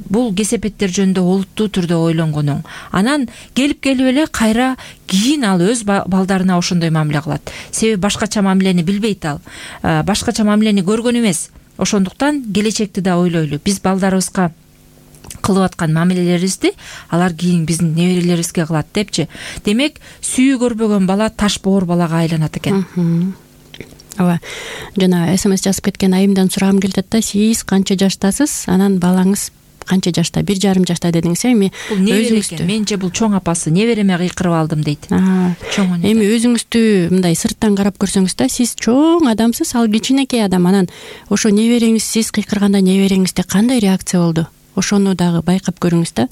бул кесепеттер жөнүндө олуттуу түрдө ойлонгонуң. Анан келип келип эле кайра кийин ал өз балдарына ошондой мамиле кылат. Себеби башкача мамилени билбейт ал. Башкача мамилени көргөн эмес. Ошондуктан келечекти да ойлойлу. Биз балдарыбызга кылып аткан мамилелерибизди алар кийин биздин неберелерибизге кылат депчи. Демек, сүйүү көрбөгөн бала таш боор балага айланат экен. Ооба. Жана смс жазып кеткен айымдан сурагым келип атат да, сиз канча жаштасыз? Анан балаңыз канча жашта? Бир жарым жашта дедиңиз, эми өзүңүздү. Менче бул чоң апасы, небереме кыйкырып алдым дейт. Эми өзүңүздү мындай сырттан карап көрсөңүз да, сиз чоң адамсыз, ал кичинекей адам. Анан ошо небереңиз, сиз кыйкырганда небереңизде кандай реакция болду? ошону дагы байкап көрүңүз да.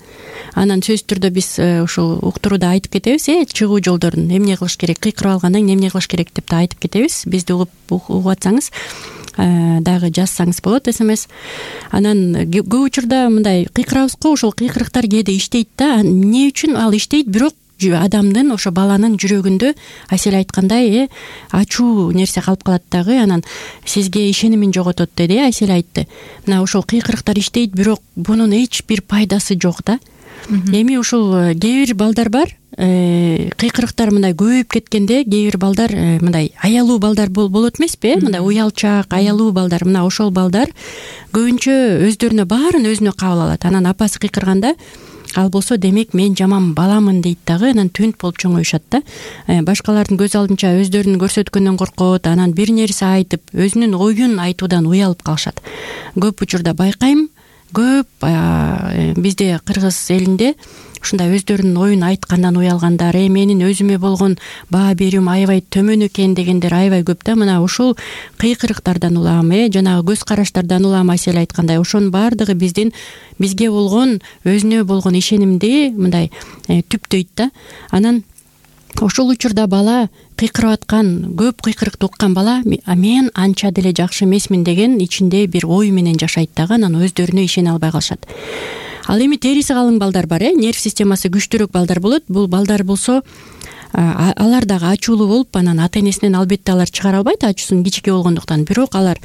Анан сөзсүз түрдө биз ушул уктурууда айтып кетебиз, э чыгуу жолдорун эмне кылыш керек, кыйкырып алгандан кийин эмне кылыш керек деп да айтып кетебиз. Бизди угуп угуп атсаңыз дагы жазсаңыз болот смс. Анан көп учурда мындай кыйкырабыз го, ошол кыйкырыктар кээде иштейт да. Эмне үчүн ал иштейт? Бирок адамдын, ошо баланын жүрөгүндө Айсель айткандай, э ачуу нерсе калып калат дагы, анан сизге ишенимин жоготот деди, э Айсель айтты. Мына ошол кыйкырыктар иштейт, бирок бунун эч бир пайдасы жок да. Эми ушул кээ бир балдар бар, кыйкырыктар мындай көбөйүп кеткенде, кээ бир балдар мындай аялуу балдар болот эмеспи, э мындай уялчак, аялуу балдар. Мына ошол балдар көбүнчө өздөрүнө баарын өзүнө кабыл алат. Анан апасы кыйкырганда ал болсо демек мен жаман баламын дейт дагы, анан түнт болуп чоңоюшат да. Башкалардын көз алдынча өздөрүн көрсөткөндөн коркот, анан бир нерсе айтып, өзүнүн оюн айтуудан уялып калышат. Көп учурда байкайм, көп бизде кыргыз элинде ушундай өздөрүнүн оюн айткандан уялгандар, э менин өзүмө болгон баа берүүм аябай төмөн экен дегендер аябай көп да. Мына ушул кыйкырыктардан улам, э жанагы көз караштардан улам Айсель айткандай, ошонун баардыгы биздин бизге болгон, өзүнө болгон ишенимди мындай түптөйт да. Анан ошол учурда бала кыйкырып аткан, көп кыйкырыкты уккан бала мен анча деле жакшы эмесмин деген ичинде бир ой менен жашайт дагы, анан өздөрүнө ишене албай калышат. Ал эми териси калың балдар бар, э нерв системасы күчтүүрөөк балдар болот. Бул балдар болсо алар дагы ачуулуу болуп, анан ата энесинен албетте алар чыгара албайт, ачуусун кичике болгондуктан. Бирок алар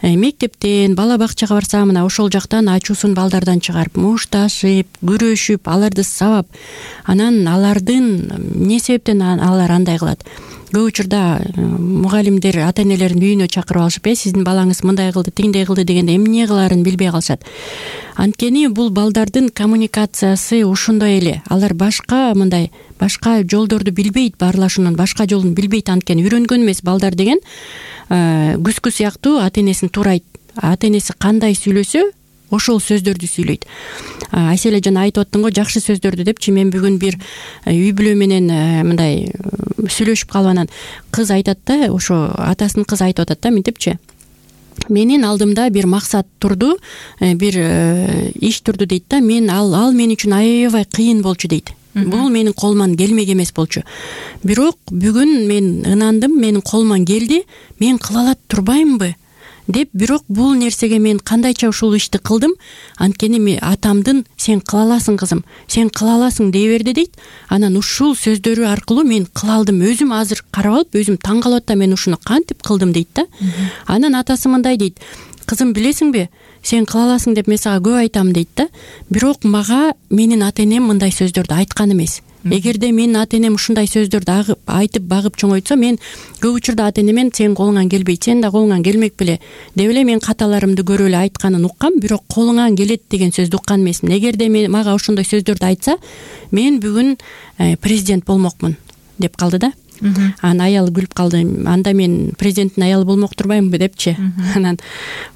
мектептен, бала бакчага барса, мына ошол жактан ачуусун балдардан чыгарып, мушташып, күрөшүп, аларды сабап, анан алардын эмне себептен алар андай кылат? Көп учурда мугалимдер ата энелерин үйүнө чакырып алышып, э сиздин балаңыз мындай кылды, тигиндей кылды дегенде эмне кылаарын билбей калышат. Анткени бул балдардын коммуникациясы ошондой эле. Алар башка мындай башка жолдорду билбейт, баарлашуунун башка жолун билбейт. Анткени үйрөнгөн эмес. Балдар деген күскү сыяктуу ата энесин туурайт. Ата энеси кандай сүйлөсө, ошол сөздөрдү сүйлөйт. Айселе жана айтып аттың го жакшы сөздөрдү депчи. Мен бүгүн бир үй бүлө менен мындай сүйлөшүп калып, анан кыз айтат да, ошо атасынын кызы айтып атат да, мынтипчи: менин алдымда бир максат турду, бир иш турду дейт да. Мен ал ал мен үчүн аябай кыйын болчу дейт. Бул менин колуман келмек эмес болчу. Бирок бүгүн мен ынандым, менин колуман келди. Мен кыла алат турбаймынбы деп, бирок бул нерсеге мен кандайча ушул ишти кылдым. Анткени мен атамдын сен кыла аласың кызым, сен кыла аласың дей берди дейт. Анан ушул сөздөрү аркылуу мен кыла алдым. Өзүм азыр карап алып, өзүм таң калып атам, мен ушуну кантип кылдым дейт да. Анан атасы мындай дейт: кызым, билесиңби, сен кыла аласың деп мен сага көп айтам дейт да. Бирок мага менин ата энем мындай сөздөрдү айткан эмес. Эгерде менин ата энем ушундай сөздөрдү айтып багып чоңойтсо, мен көп учурда ата энемен сен колуңан келбейт, сен да колуңан келмек беле деп эле мен каталарымды көрүп эле айтканын уккам, бирок колуңан келет деген сөздү уккан эмесмин. Эгерде мен мага ошондой сөздөрдү айтса, мен бүгүн президент болмокмун деп калды да. Анан аялы күлүп калды: анда мен президенттин аялы болмок турбаймынбы депчи. Анан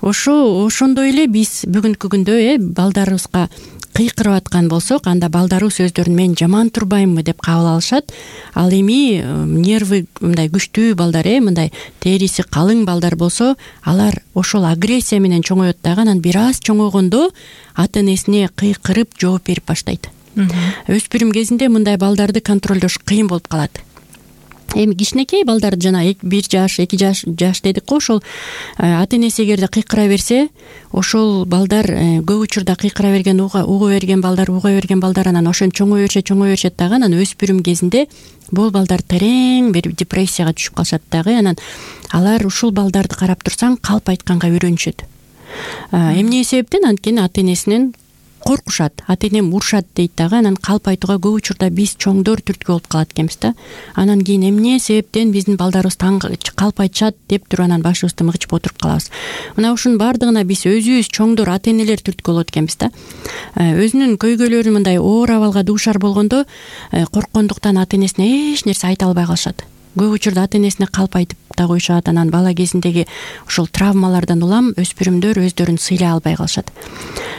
ошо ошондой эле биз бүгүнкү күндө э балдарыбызга кыйкырып аткан болсок, анда балдарыбыз өздөрүн мен жаман турбаймынбы деп кабыл алышат. Ал эми нервы мындай күчтүү балдар, э мындай териси калың балдар болсо, алар ошол агрессия менен чоңоет дагы. Анан бир аз чоңойгондо ата энесине кыйкырып жооп берип баштайт. Өспүрүм кезинде мындай балдарды контролдош кыйын болуп калат. Эми кичинекей балдарды жана бир жаш, эки жаш жаш дедик го, ошол ата энеси эгерде кыйкыра берсе, ошол балдар көп учурда кыйкыра берген, уга берген балдар, уга берген балдар анан ошентип чоңое беришет, чоңое беришет дагы. Анан өспүрүм кезинде бул балдар терең бир депрессияга түшүп калышат дагы. Анан алар ушул балдарды карап турсаң калп айтканга үйрөнүшөт. Эмне себептен? Анткени ата энесинен коркушат, ата энем урушат дейт дагы. Анан калп айтууга көп учурда биз чоңдор түрткү болуп калат экенбиз да. Анан кийин эмне себептен биздин балдарыбыз таң калп айтышат деп туруп анан башыбызды мыгычып отуруп калабыз. Мына ушунун баардыгына биз өзүбүз чоңдор, ата энелер түрткү болот экенбиз да. Өзүнүн көйгөйлөрү мындай оор абалга дуушар болгондо корккондуктан ата энесине эч нерсе айта албай калышат. Көп учурда ата энесине калп айтып да коюшат. Анан бала кезиндеги ушул травмалардан улам өспүрүмдөр өздөрүн сыйлай албай калышат.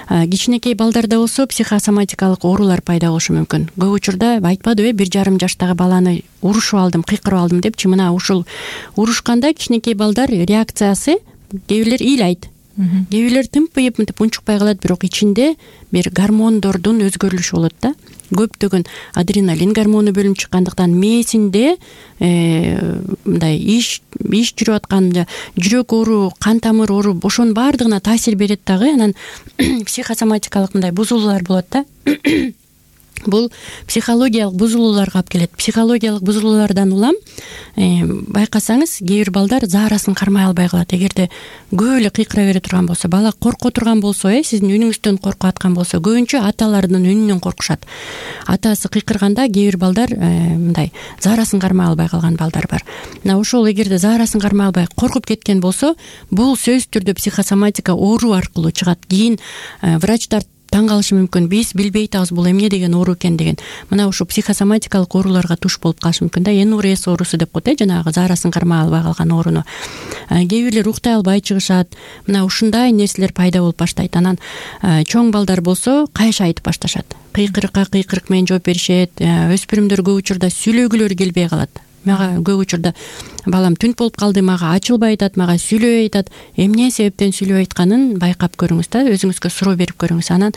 Кичинекей балдарда болсо психосоматикалык оорулар пайда болушу мүмкүн. Көп учурда айтпадыбы, бир жарым жаштагы баланы урушуп алдым, кыйкырып алдым депчи. Мына ушул урушканда кичинекей балдар реакциясы, кээ бирлер ыйлайт. кээ бирлер тымпыйып мынтип унчукпай калат, бирок ичинде бир гормондордун өзгөрүлүшү болот да. Көптөгөн адреналин гормону бөлүнүп чыккандыктан мээсинде мындай иш иш жүрүп аткан, жүрөк оору, кан тамыр оору, ошонун баардыгына таасир берет дагы. Анан психосоматикалык мындай бузулуулар болот да. Бул психологиялык бузулууларга алып келет. Психологиялык бузулуулардан улам байкасаңыз, кээ бир балдар заарасын кармай албай калат. Эгерде көп эле кыйкыра бере турган болсо, бала корко турган болсо, э сиздин үнүңүздөн коркуп аткан болсо, көбүнчө аталардын үнүнөн коркушат. Атасы кыйкырганда кээ бир балдар мындай заарасын кармай албай калган балдар бар. Мына ошол эгерде заарасын кармай албай коркуп кеткен болсо, бул сөзсүз түрдө психосоматика оору аркылуу чыгат. Кийин врачтар таң калышы мүмкүн, биз билбей атабыз бул эмне деген оору экен деген. Мына ушу психосоматикалык ооруларга туш болуп калышы мүмкүн да. эн эр эс оорусу деп коет, жанагы заарасын кармай албай калган ооруну. Кээ бирлер уктай албай чыгышат. Мына ушундай нерселер пайда болуп баштайт. Анан чоң балдар болсо кайша айтып башташат. Кыйкырыкка кыйкырык менен жооп беришет. Өспүрүмдөр көп учурда сүйлөгүлөрү келбей калат. Мага көп учурда балам түнт болуп калды, мага ачылбай айтат, мага сүйлөбөй айтат. Эмне себептен сүйлөбөй айтканын байкап көрүңүз да, өзүңүзгө суроо берип көрүңүз. Анан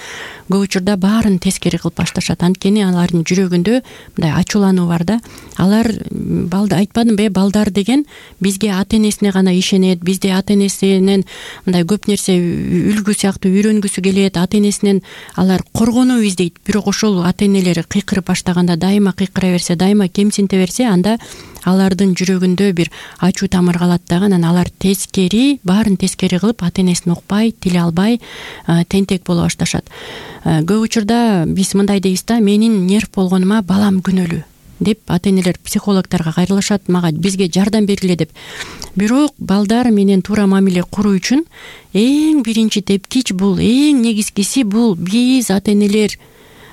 көп учурда баарын тескери кылып башташат. Анткени алардын жүрөгүндө мындай ачуулануу бар да. Алар балды айтпадымбы, балдар деген бизге ата энесине гана ишенет, бизде ата энесинен мындай көп нерсе үлгү сыяктуу үйрөнгүсү келет, ата энесинен алар коргонуу издейт. Бирок ошол ата энелери кыйкырып баштаганда, дайыма кыйкыра берсе, дайыма кемсинте берсе, анда алардын жүрөгүндө бир ачуу тамыр калат дагы. Анан алар тескери, баарын тескери кылып, ата энесин укпай, тиле албай, тентек боло башташат. Көп учурда биз мындай дейбиз да, менин нерв болгонума балам күнөөлүү деп ата энелер психологторго кайрылышат, мага бизге жардам бергиле деп. Бирок балдар менен туура мамиле куруу үчүн эң биринчи тепкич бул, эң негизгиси бул биз ата энелер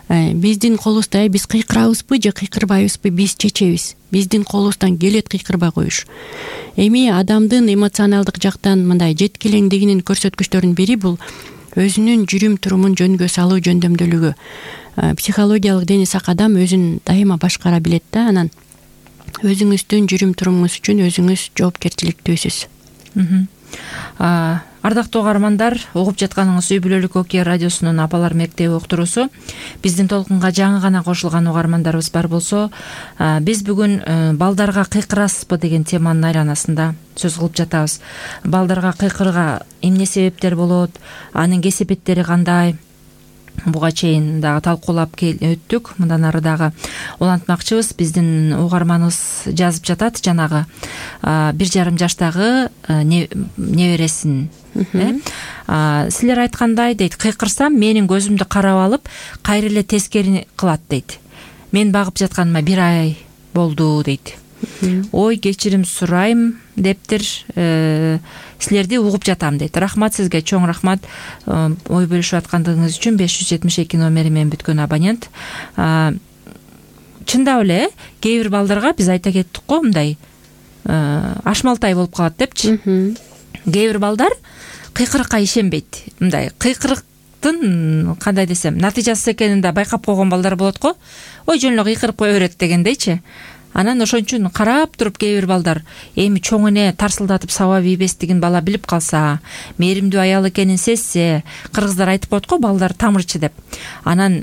биздин колубузда, биз кыйкырабызбы же кыйкырбайбызбы биз чечебиз. Биздин колубуздан келет кыйкырбай коюш. Эми адамдын эмоционалдык жактан мындай жеткилеңдигинин көрсөткүчтөрүнүн бири бул өзүнүн жүрүм турумун жөнгө салуу жөндөмдүүлүгү. Психологиялык дени сак адам өзүн дайыма башкара билет да. Анан өзүңүздүн жүрүм турумуңуз үчүн өзүңүз жоопкерчиликтүүсүз. Ардактуу угармандар, угуп жатканыңыз Үй бүлөлүк Окей радиосунун Апалар мектеби уктуруусу. Биздин толкунга жаңы гана кошулган угармандарыбыз бар болсо, биз бүгүн балдарга кыйкырасызбы деген теманын айланасында сөз кылып жатабыз. Балдарга кыйкырга эмне себептер болот, анын кесепеттери кандай? Буга чейин дагы талкуулап өттүк. Мындан ары дагы улантмакчыбыз. Биздин угарманыбыз жазып жатат, жанагы бир жарым жаштагы небересин. Силер айткандай дейт, кыйкырсам менин көзүмдү карап алып, кайра эле тескери кылат дейт. Мен багып жатканыма бир ай болду дейт. Ой, кечирим сурайм дептир, силерди угуп жатам дейт. Рахмат сизге, чоң рахмат ой бөлүшүп аткандыгыңыз үчүн. беш жүз жетимиш эки номери менен бүткөн абонент. Чындап эле кээ бир балдарга биз айта кеттик го, мындай ашмалтай болуп калат депчи. Кээ бир балдар кыйкырыкка ишенбейт. Мындай кыйкырыктын кандай десем, натыйжасыз экенин да байкап койгон балдар болот го. Ой, жөн эле кыйкырып кое берет дегендейчи. Анан ошон үчүн карап туруп кээ бир балдар эми чоң эне тарсылдатып сабап ийбестигин бала билип калса, мээримдүү аял экенин сезсе, кыргыздар айтып коет го, балдар тамырчы деп. Анан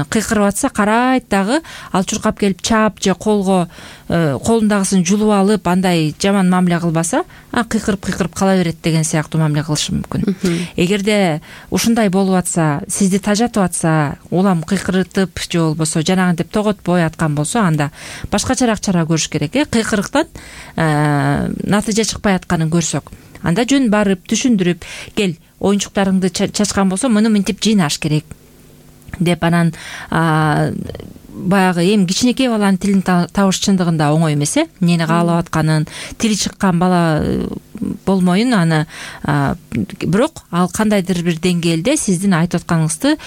кыйкырып атса карайт дагы, ал чуркап келип чаап же колго колундагысын жулуп алып, андай жаман мамиле кылбаса, а кыйкырып-кыйкырып кала берет деген сыяктуу мамиле кылышы мүмкүн. Эгерде ушундай болуп атса, сизди тажатып атса, улам кыйкыртып же болбосо жанагынтип тоготпой аткан болсо, анда башкачараак чара көрүш керек. Э кыйкырыктан натыйжа чыкпай атканын көрсөк, анда жөн барып түшүндүрүп, кел оюнчуктарыңды чачкан болсо, муну мынтип жыйнаш керек деп, анан баягы эми кичинекей баланын тилин табыш чындыгында оңой эмес. Э эмнени каалап атканын, тили чыккан бала болмоюн, аны бирок ал кандайдыр бир деңгээлде сиздин айтып атканыңызды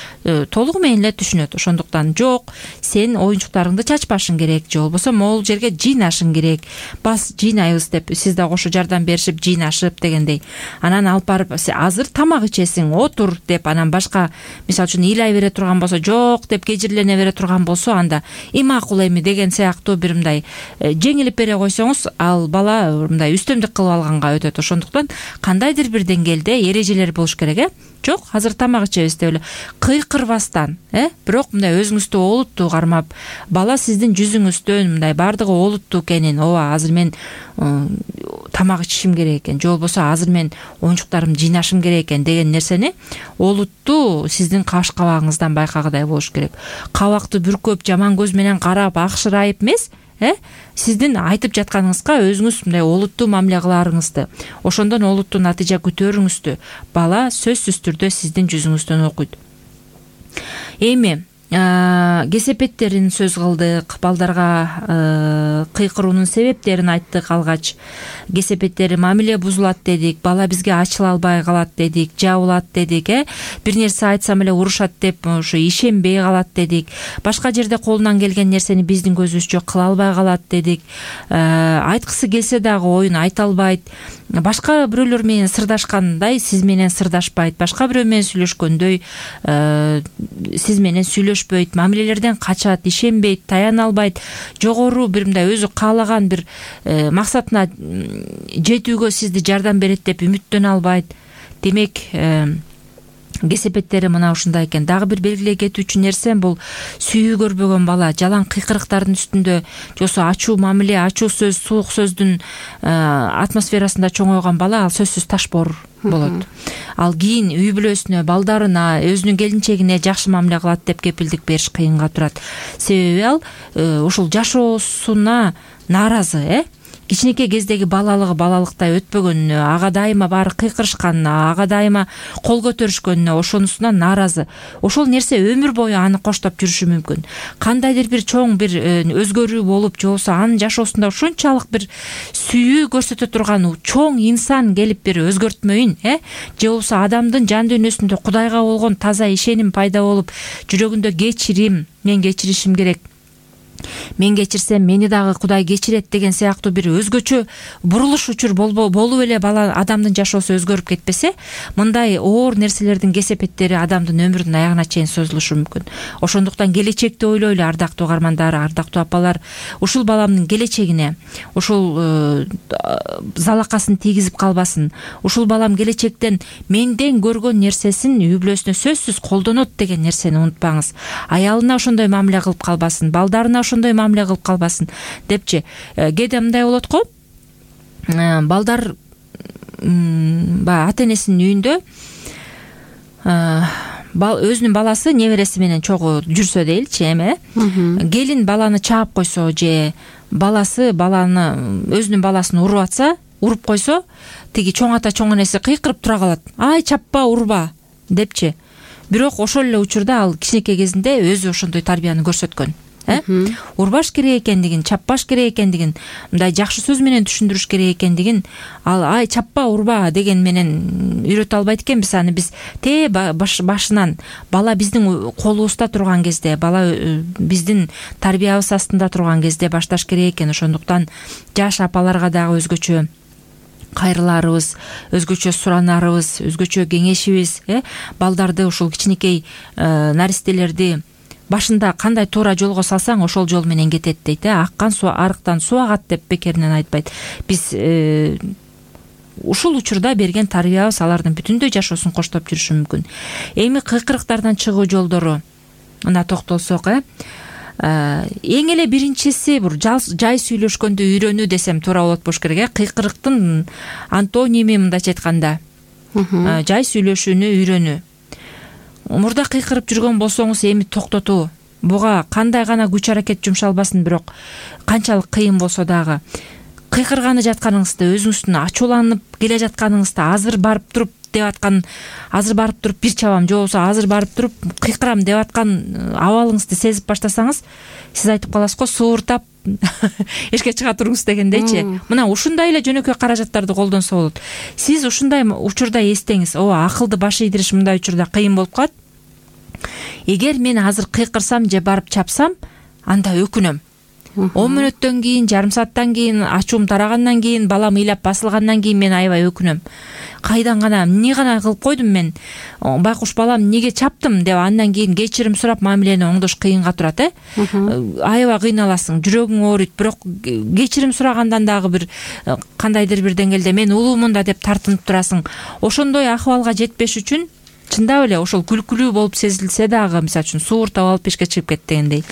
толугу менен эле түшүнөт. Ошондуктан жок, сен оюнчуктарыңды чачпашың керек же болбосо могул жерге жыйнашың керек, бас жыйнайбыз деп сиз да кошо жардам беришип жыйнашып дегендей. Анан алып барып азыр тамак ичесиң, отур деп, анан башка мисалы үчүн ыйлай бере турган болсо, жок деп кежирлене бере турган болсо, анда и макул эми деген сыяктуу бир мындай жеңилип бере койсоңуз, ал бала мындай үстөмдүк кылып алганга өтөт. ошондуктан кандайдыр бир деңгээлде эрежелер болуш керек. Э жок, азыр тамак ичебиз деп эле кыйкырбастан, э бирок мындай өзүңүздү олуттуу кармап, бала сиздин жүзүңүздөн мындай баардыгы олуттуу экенин, ооба азыр мен тамак ичишим керек экен, же болбосо азыр мен оюнчуктарымды жыйнашым керек экен деген нерсени олуттуу сиздин каш кабагыңыздан байкагыдай болуш керек. Кабакты бүркөп, жаман көз менен карап, акшырайып эмес, э сиздин айтып жатканыңызга өзүңүз мындай олуттуу мамиле кыларыңызды, ошондон олуттуу натыйжа күтөөрүңүздү бала сөзсүз түрдө сиздин жүзүңүздөн окуйт. Эми кесепеттерин сөз кылдык, балдарга кыйкыруунун себептерин айттык. Алгач кесепеттери мамиле бузулат дедик, бала бизге ачыла албай калат дедик, жабылат дедик, э бир нерсе айтсам эле урушат деп ошо ишенбей калат дедик, башка жерде колунан келген нерсени биздин көзүбүзчө кыла албай калат дедик, айткысы келсе дагы оюн айта албайт, башка бирөөлөр менен сырдашкандай сиз менен сырдашпайт, башка бирөө менен сүйлөшкөндөй сиз менен сүйлөшпөйт, мамилелерден качат, ишенбейт, таяна албайт, жогору бир мындай өзү каалаган бир максатына жетүүгө сизди жардам берет деп үмүттөнө албайт. Демек кесепеттери мына ушундай экен. Дагы бир белгилей кетүүчү нерсе бул сүйүү көрбөгөн бала, жалаң кыйкырыктардын үстүндө, жосо ачуу мамиле, ачуу сөз, суук сөздүн атмосферасында чоңойгон бала ал сөзсүз ташбоор болот. Ал кийин үй бүлөсүнө, балдарына, өзүнүн келинчегине жакшы мамиле кылат деп кепилдик бериш кыйынга турат. Себеби ал ушул жашоосуна нааразы, э кичинекей кездеги балалыгы балалыктай өтпөгөнүнө, ага дайыма баары кыйкырышканына, ага дайыма кол көтөрүшкөнүнө, ошонусунан нааразы. Ошол нерсе өмүр бою аны коштоп жүрүшү мүмкүн. Кандайдыр бир чоң бир өзгөрүү болуп, же болбосо анын жашоосунда ушунчалык бир сүйүү көрсөтө турган чоң инсан келип бир өзгөртмөйүн, э же болбосо адамдын жан дүйнөсүндө Кудайга болгон таза ишеним пайда болуп, жүрөгүндө кечирим, мен кечиришим керек, мен кечирсем мени дагы Кудай кечирет деген сыяктуу бир өзгөчө бурулуш учур болуп эле бала адамдын жашоосу өзгөрүп кетпесе, мындай оор нерселердин кесепеттери адамдын өмүрүнүн аягына чейин созулушу мүмкүн. Ошондуктан келечекти ойлойлу, ардактуу угармандар, ардактуу апалар, ушул баламдын келечегине ушул залакасын тийгизип калбасын, ушул балам келечектен менден көргөн нерсесин үй бүлөсүнө сөзсүз колдонот деген нерсени унутпаңыз. Аялына ошондой мамиле кылып калбасын, балдарына ошондой мамиле кылып калбасын депчи. Кээде мындай болот го, балдар баягы ата энесинин үйүндө өзүнүн баласы небереси менен чогуу жүрсө дейли,чи эми келин баланы чаап койсо, же баласы баланы өзүнүн баласын уруп атса, уруп койсо, тиги чоң ата чоң энеси кыйкырып тура калат, ай чаппа, урба депчи. Бирок ошол эле учурда ал кичинекей кезинде өзү ошондой тарбияны көрсөткөн. Урбаш керек экендигин, чаппаш керек экендигин, мындай жакшы сөз менен түшүндүрүш керек экендигин ал ай чаппа, урба деген менен үйрөтө албайт экенбиз. Аны биз те башынан бала биздин колубузда турган кезде, бала биздин тарбиябыз астында турган кезде башташ керек экен. Ошондуктан жаш апаларга дагы өзгөчө кайрыларыбыз, өзгөчө суранарыбыз, өзгөчө кеңешибиз, э балдарды, ушул кичинекей наристелерди башында кандай туура жолго салсаң, ошол жол менен кетет дейт. Аккан суу арыктан суу агат деп бекеринен айтпайт. Биз ушул учурда берген тарбиябыз алардын бүтүндөй жашоосун коштоп жүрүшү мүмкүн. Эми кыйкырыктардан чыгуу жолдору мына токтолсок, э эң эле биринчиси бир жай сүйлөшкөндө үйрөнүү десем туура болот болуш керек. Э кыйкырыктын антоними мындайча айтканда жай сүйлөшүүнү үйрөнүү. Мурда кыйкырып жүргөн болсоңуз, эми токтотуу. Буга кандай гана күч аракет жумшалбасын, бирок канчалык кыйын болсо дагы кыйкырганы жатканыңызда, өзүңүздүн ачууланып келе жатканыңызда, азыр барып туруп деп аткан, азыр барып туруп бир чабам, же болбосо азыр барып туруп кыйкырам деп аткан абалыңызды сезип баштасаңыз, сиз айтып каласыз го, сууртап эшикке чыга туруңуз дегендейчи. Мына ушундай эле жөнөкөй каражаттарды колдонсо болот. Сиз ушундай учурда эстеңиз, ооба, акылды баш ийдириш мындай учурда кыйын болуп калат. Эгер мен азыр кыйкырсам же барып чапсам, анда өкүнөм. он мүнөттөн кийин, жарым сааттан кийин, ачуум тарагандан кийин, балам ыйлап басылгандан кийин мен аябай өкүнөм. кайдан гана эмне гана кылып койдум мен, байкуш балам эмнеге чаптым деп андан кийин кечирим сурап мамилени оңдош кыйынга турат. э Аябай кыйналасың, жүрөгүң ооруйт, бирок кечирим сурагандан дагы бир кандайдыр бир деңгээлде мен улуумун да деп тартынып турасың. Ошондой акыбалга жетпеш үчүн чындап эле ошол күлкүлүү болуп сезилсе дагы, мисалы үчүн суууртап алып эшикке чыгып кет дегендей,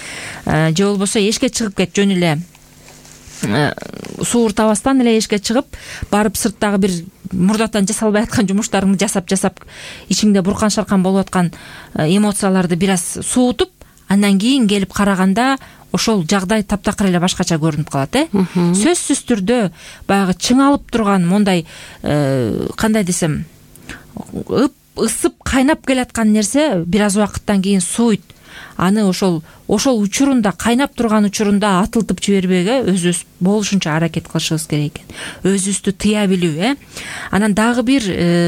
же болбосо эшикке чыгып кет, жөн эле суууртабастан эле эшикке чыгып барып сырттагы бир мурдатан жасалбай аткан жумуштарыңды жасап жасап ичиңде буркан шаркан болуп аткан эмоцияларды бир аз суутуп, андан кийин келип караганда ошол жагдай таптакыр эле башкача көрүнүп калат. э Сөзсүз түрдө баягы чыңалып турган мондай кандай десем ысып кайнап келаткан нерсе бир аз убакыттан кийин сууйт. Аны ошол ошол учурунда, кайнап турган учурунда атылтып жибербеге өзүбүз болушунча аракет кылышыбыз керек экен. Өзүбүздү тыя билүү. э Анан дагы бир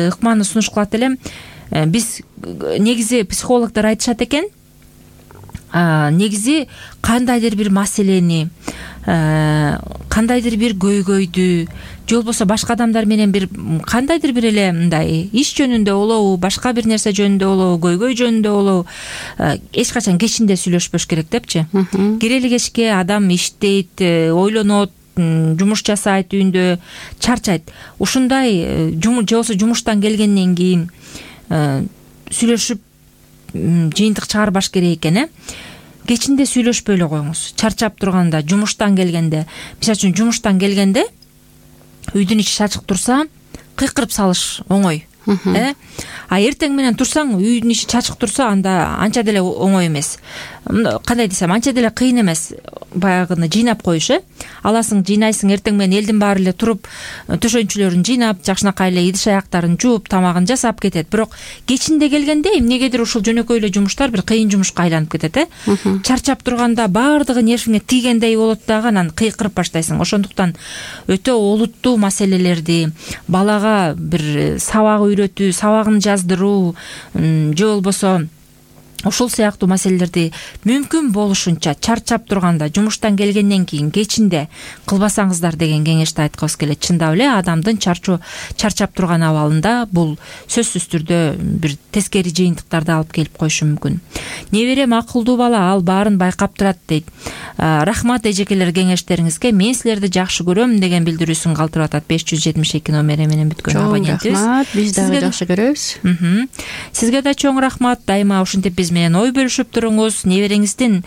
ыкманы сунуш кылат элем. Биз негизи психологдор айтышат экен, негизи кандайдыр бир маселени, кандайдыр бир көйгөйдү, же болбосо башка адамдар менен бир кандайдыр бир эле мындай иш жөнүндө болобу, башка бир нерсе жөнүндө болобу, көйгөй жөнүндө болобу, эч качан кечинде сүйлөшпөш керек депчи. Кирели кечке адам иштейт, ойлонот, жумуш жасайт, үйүндө чарчайт. Ушундай же болбосо жумуштан келгенден кийин сүйлөшүп жыйынтык чыгарбаш керек экен. э Кечинде сүйлөшпөй эле коюңуз. Чарчап турганда, жумуштан келгенде, мисалы үчүн жумуштан келгенде үйдүн ичи чачык турса, кыйкырып салыш оңой. э А эртең менен турсаң, үйдүн ичи чачык турса, анда анча деле оңой эмес. Кандай десем, анча деле кыйын эмес баягыны жыйнап коюш. э Аласың, жыйнайсың, эртең менен элдин баары эле туруп, төшөнчүлөрүн жыйнап, жакшынакай эле идиш аяктарын жууп, тамагын жасап кетет. Бирок кечинде келгенде эмнегедир ушул жөнөкөй эле жумуштар бир кыйын жумушка айланып кетет. э Чарчап турганда баардыгы нервиңе тийгендей болот дагы, анан кыйкырып баштайсың. Ошондуктан өтө олуттуу маселелерди, балага бир сабак үйрөтүү, сабагын жаздыруу, же болбосо ушул сыяктуу маселелерди мүмкүн болушунча чарчап турганда, жумуштан келгенден кийин кечинде кылбасаңыздар деген кеңешти айткыбыз келет. Чындап эле адамдын чарчоо чарчап турган абалында бул сөзсүз түрдө бир тескери жыйынтыктарды алып келип коюшу мүмкүн. Неберем акылдуу бала, ал баарын байкап турат дейт. Рахмат эжекелер кеңештериңизге, мен силерди жакшы көрөм деген билдирүүсүн калтырып атат беш жүз жетимиш эки номери менен бүткөн абонентибиз. Рахмат, биз дагы жакшы көрөбүз. Сизге да чоң рахмат. Дайыма ушинтип биз менен ой бөлүшүп туруңуз. Небереңиздин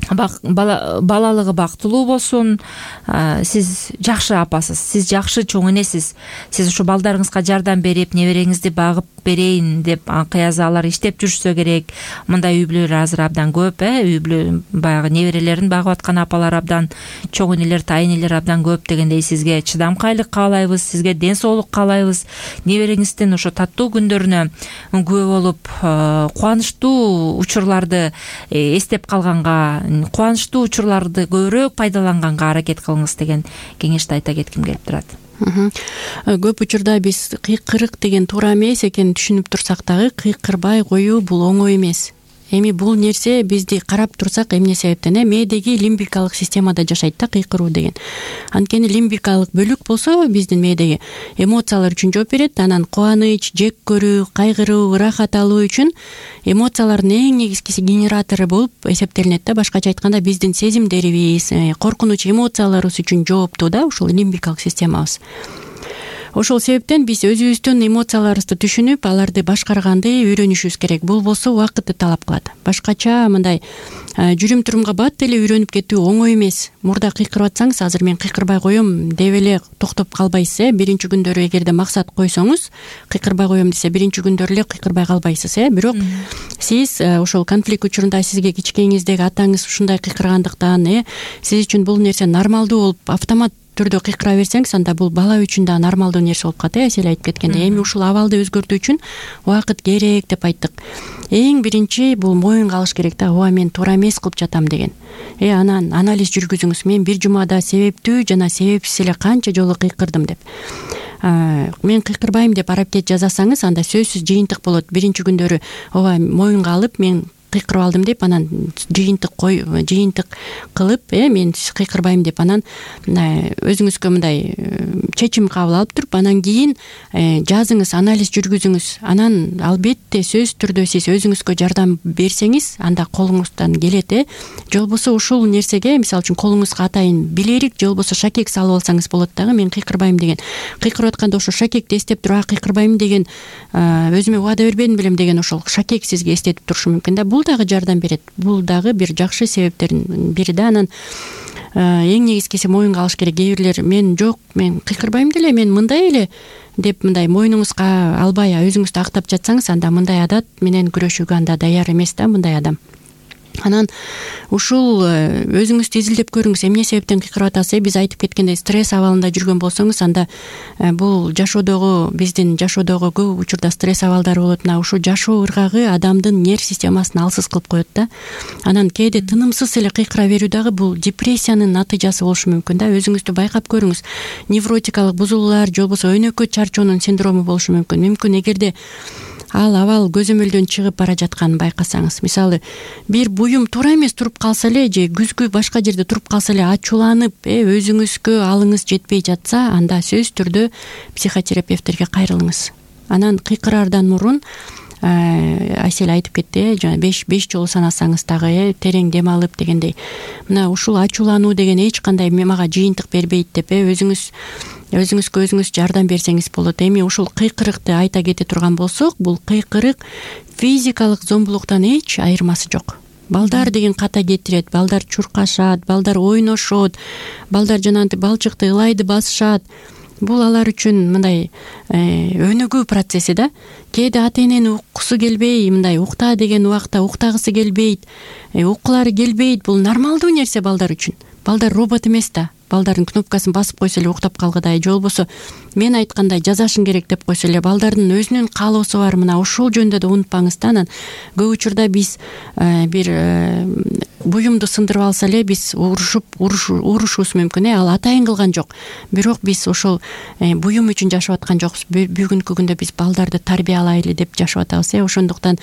балалыгы бактылуу болсун. Сиз жакшы апасыз, сиз жакшы чоң энесиз. Сиз ушу балдарыңызга жардам берип, небереңизди багып берейин деп анкыязы алар иштеп жүрүшсө керек. Мындай үй бүлөлөр азыр абдан көп, э үй бүлө баягы неберелерин багып аткан апалар абдан, чоң энелер, тайнелер абдан көп дегендей. Сизге чыдамкайлык каалайбыз, сизге ден соолук каалайбыз. Небереңиздин ошо таттуу күндөрүнө күбө болуп, кубанычтуу учурларды эстеп калганга, кубанычтуу учурларды көбүрөөк пайдаланганга аракет кылыңыз деген кеңешти айта кетким келип турат. Көп учурда биз кыйкырык деген туура эмес экенин түшүнүп турсак дагы, кыйкырбай коюу бул оңой эмес. Эми бул нерсе бизди карап турсак эмне себептен э мээдеги лимбикалык системада жашайт да кыйкыруу деген. Анткени лимбикалык бөлүк болсо биздин мээдеги эмоциялар үчүн жооп берет. Анан кубаныч, жек көрүү, кайгыруу, ырахат алуу үчүн эмоциялардын эң негизгиси генератору болуп эсептелинет да. Башкача айтканда биздин сезимдерибиз, коркунуч эмоцияларыбыз үчүн жооптуу да ушул лимбикалык системабыз. Ошол себептен биз өзүбүздүн эмоцияларыбызды түшүнүп, аларды башкарганды үйрөнүшүбүз керек. Бул болсо убакытты талап кылат. Башкача мындай жүрүм турумга бат эле үйрөнүп кетүү оңой эмес. Мурда кыйкырып атсаңыз, азыр мен кыйкырбай коем деп эле токтоп калбайсыз э. Биринчи күндөрү эгерде максат койсоңуз, кыйкырбай коем десе, биринчи күндөрү эле кыйкырбай калбайсыз э. Бирок сиз ошол конфликт учурунда сизге кичкейиңиздеги атаңыз ушундай кыйкыргандыктан, э, сиз үчүн бул нерсе нормалдуу болуп автомат түрдө кыйкыра берсеңиз, анда бул бала үчүн да нормалдуу нерсе болуп калат. Эсел айтып кеткендей, эми ушул абалды өзгөртүү үчүн убакыт керек деп айттык. Эң биринчи бул моюнга алыш керек да, ооба мен туура эмес кылып жатам деген. Э анан анализ жүргүзүңүз. Мен бир жумада себептүү жана себепсиз эле канча жолу кыйкырдым деп. Мен кыйкырбайм деп аракет жасасаңыз, анда сөзсүз жыйынтык болот. Биринчи күндөрү ооба моюнга алып, мен кыйкырып алдым деп анан жыйынтык кой жыйынтык кылып э мен кыйкырбайм деп анан өзүңүзгө мындай чечим кабыл алып туруп анан кийин жазыңыз, анализ жүргүзүңүз. Анан албетте сөзсүз түрдө сиз өзүңүзгө жардам берсеңиз анда колуңуздан келет э же болбосо ушул нерсеге мисалы үчүн колуңузга атайын билерик же болбосо шакек салып алсаңыз болот дагы. Мен кыйкырбайм деген кыйкырып атканда ошо шакекти эстеп туруп а кыйкырбайм деген өзүмө убада бербедим белем деген ошол шакек сизге эстетип турушу мүмкүн да. Бул дагы жардам берет. Бул дагы бир жакшы себептердин бири да. Анан эң негизгиси моюнга алыш керек. Кээ бирлер мен жок, мен кыйкырбайм деле, мен мындай эле деп мындай мойнуңузга албай өзүңүздү актап жатсаңыз, анда мындай адат менен күрөшүүгө анда даяр эмес да мындай адам. Анан ушул өзүңүздү изилдеп көрүңүз, эмне себептен кыйкырып атасыз. Биз айтып кеткендей стресс абалында жүргөн болсоңуз, анда бул жашоодогу биздин жашоодогу көп учурда стресс абалдары болот. Мына ушул жашоо ыргагы адамдын нерв системасын алсыз кылып коет да. Анан кээде тынымсыз эле кыйкыра берүү дагы бул депрессиянын натыйжасы болушу мүмкүн да. Өзүңүздү байкап көрүңүз. Невротикалык бузулуулар же болбосо өнөкөт чарчоонун синдрому болушу мүмкүн. Мүмкүн эгерде ал абал көзөмөлдөн чыгып бара жатканын байкасаңыз. Мисалы бир буюм туура эмес туруп калса эле же күзгү башка жерде туруп калса эле ачууланып э өзүңүзгө алыңыз жетпей жатса, анда сөзсүз түрдө психотерапевттерге кайрылыңыз. Анан кыйкыраардан мурун Айсель айтып кетти, жана беш беш жолу санасаңыз дагы э терең дем алып дегендей. Мына ушул ачуулануу деген эч кандай мага жыйынтык бербейт деп э өзүңүз өзүңүзгө өзүңүз жардам берсеңиз болот. Эми ушул кыйкырыкты айта кете турган болсок, бул кыйкырык физикалык зомбулуктан эч айырмасы жок. Балдар деген ката кетирет, балдар чуркашат, балдар ойношот, балдар жанагынтип балчыкты ылайды басышат. Бул алар үчүн мындай өнүгүү процесси да. Кээде ата энени уккусу келбей, мындай укта деген убакта уктагысы келбейт, уккулары келбейт. Бул нормалдуу нерсе балдар үчүн. Балдар робот эмес да. Балдардын кнопкасын басып койсо эле уктап калгыдай, же болбосо мен айткандай жазашың керек деп койсо эле балдардын өзүнүн каалоосу бар. Мына ушул жөндө да унутпаңыз да. Анан көп учурда биз бир буюмду сындырып алса эле биз урушуп урушубуз мүмкүн э ал атайын кылган жок. Бирок биз ошол буюм үчүн жашап аткан жокпуз. Бүгүнкү күндө биз балдарды тарбиялайлы деп жашап атабыз э ошондуктан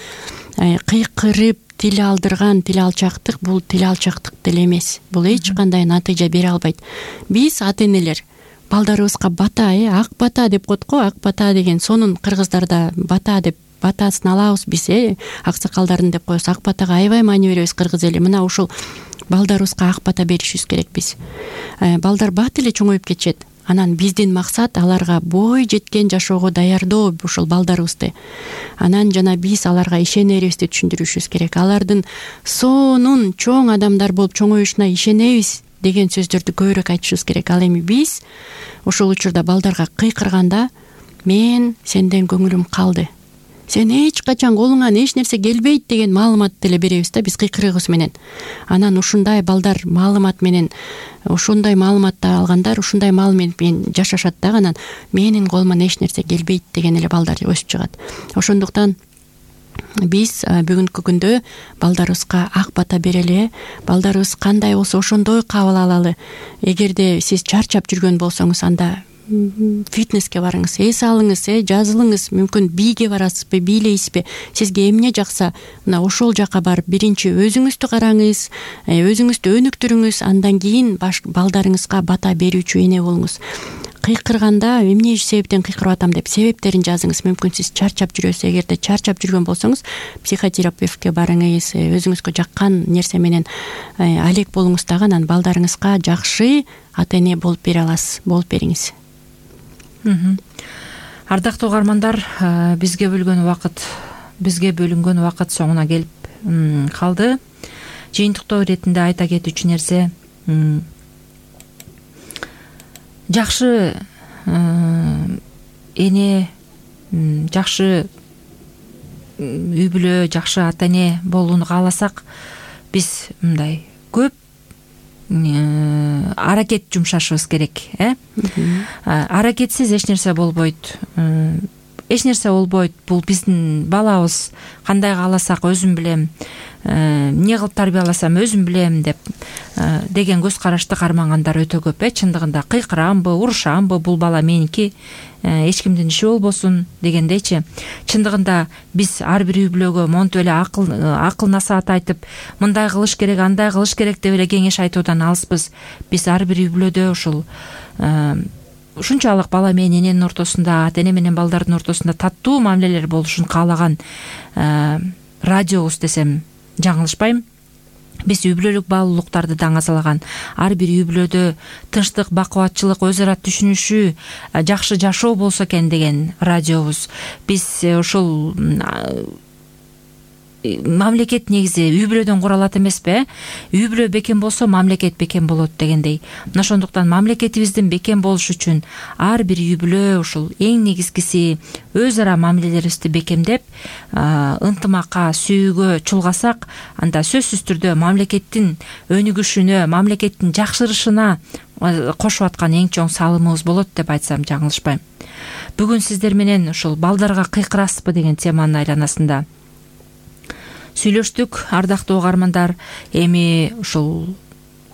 кыйкырып тил алдырган тил алчактык бул тил алчактык деле эмес. Бул эч кандай натыйжа бере албайт. Биз ата энелер балдарыбызга бата э ак бата деп коет го. Ак бата деген сонун кыргыздарда бата деп батасын алабыз биз э аксакалдардын деп коебуз. Ак батага аябай маани беребиз кыргыз эли. Мына ушул балдарыбызга ак бата беришибиз керек биз. Балдар бат эле чоңоюп кетишет. Анан биздин максат аларга бой жеткен жашоого даярдоо ушул балдарыбызды. Анан жана биз аларга ишенерибизди түшүндүрүшүбүз керек. Алардын сонун чоң адамдар болуп чоңоюшуна ишенебиз деген сөздөрдү көбүрөөк айтышыбыз керек. Ал эми биз ошол учурда балдарга кыйкырганда мен сенден көңүлүм калды, сен эч качан колуңан эч нерсе келбейт деген маалымат деле беребиз да биз кыйкырыгыбыз менен. Анан ушундай балдар маалымат менен ушундай маалыматты алгандар ушундай маалымат менен жашашат да. Анан менин колуман эч нерсе келбейт деген эле балдар өсүп чыгат. Ошондуктан биз бүгүнкү күндө балдарыбызга ак бата берели. Балдарыбыз кандай болсо ошондой кабыл алалы. Эгерде сиз чарчап жүргөн болсоңуз, анда фитнеске барыңыз, эс алыңыз, э жазылыңыз. Мүмкүн бийге барасызбы, бийлейсизби, сизге эмне жакса, мына ошол жака барып биринчи өзүңүздү караңыз, өзүңүздү өнүктүрүңүз, андан кийин балдарыңызга бата берүүчү эне болуңуз. Кыйкырганда эмне себептен кыйкырып атам деп себептерин жазыңыз. Мүмкүн сиз чарчап жүрөсүз. Эгерде чарчап жүргөн болсоңуз, психотерапевтке барыңыз, өзүңүзгө жаккан нерсе менен алек болуңуз дагы. Анан балдарыңызга жакшы ата эне болуп бере аласыз, болуп бериңиз. Ардактуу угармандар, бизге бөлгөн убакыт бизге бөлүнгөн убакыт соңуна келип калды. Жыйынтыктоо иретинде айта кетүүчү нерсе, жакшы эне, жакшы үй бүлө, жакшы ата эне болууну кааласак, биз мындай көп аракет жумшашыбыз керек э аракетсиз эч нерсе болбойт. Эч нерсе болбойт. Бул биздин балабыз, кандай кааласак өзүм билем. эмне кылып тарбияласам өзүм билем деп деген көз карашты кармагандар өтө көп. Э чындыгында кыйкырамбы, урушамбы, бул бала меники, эч кимдин иши болбосун дегендейчи. Чындыгында биз ар бир үй бүлөгө монтип эле акыл акыл насаат айтып, мындай кылыш керек, андай кылыш керек деп эле кеңеш айтуудан алыспыз. Биз ар бир үй бүлөдө ушул ушунчалык бала менен эненин ортосунда, ата эне менен балдардын ортосунда таттуу мамилелер болушун каалаган радиобуз десем жаңылышпайм. Биз үй бүлөлүк баалуулуктарды даңазалаган, ар бир үй бүлөдө тынчтык, бакубатчылык, өз ара түшүнүшүү, жакшы жашоо болсо экен деген радиобуз. Биз ушул мамлекет негизи үй бүлөдөн куралат эмеспи? Үй бүлө бекем болсо мамлекет бекем болот дегендей. Мына ошондуктан мамлекетибиздин бекем болушу үчүн ар бир үй бүлө ушул эң негизгиси өз ара мамилелерибизди бекемдеп, ынтымакка, сүйүүгө чулгасак, анда сөзсүз түрдө мамлекеттин өнүгүшүнө, мамлекеттин жакшырышына кошуп аткан эң чоң салымыбыз болот деп айтсам жаңылышпайм. Бүгүн сиздер менен ушул балдарга кыйкырасызбы деген теманын айланасында сүйлөштүк, ардактуу угармандар. Эми ушул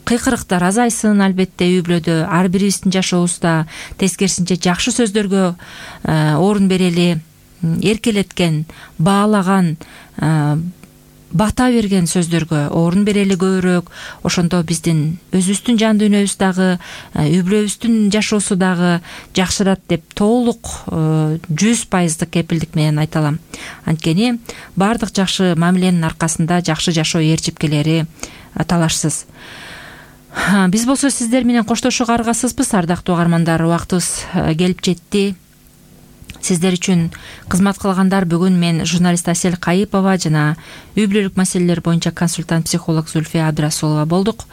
кыйкырыктар азайсын, албетте үй бүлөдө ар бирибиздин жашообузда тескерисинче жакшы сөздөргө орун берели, эркелеткен, баалаган, бата берген сөздөргө орун берели көбүрөөк. Ошондо биздин өзүбүздүн жан дүйнөбүз дагы, үй бүлөбүздүн жашоосу дагы жакшырат деп толук жүз пайыздык кепилдик менен айта алам. Анткени баардык жакшы мамиленин аркасында жакшы жашоо ээрчипкелери талашсыз. Биз болсо сиздер менен коштошууга аргасызбыз, ардактуу угармандар. Убактыбыз келип жетти. Сиздер үчүн кызмат кылгандар бүгүн мен журналист Асель Кайыпова жана үй бүлөлүк маселелер боюнча консультант психолог Зульфия Абдрасулова болдук.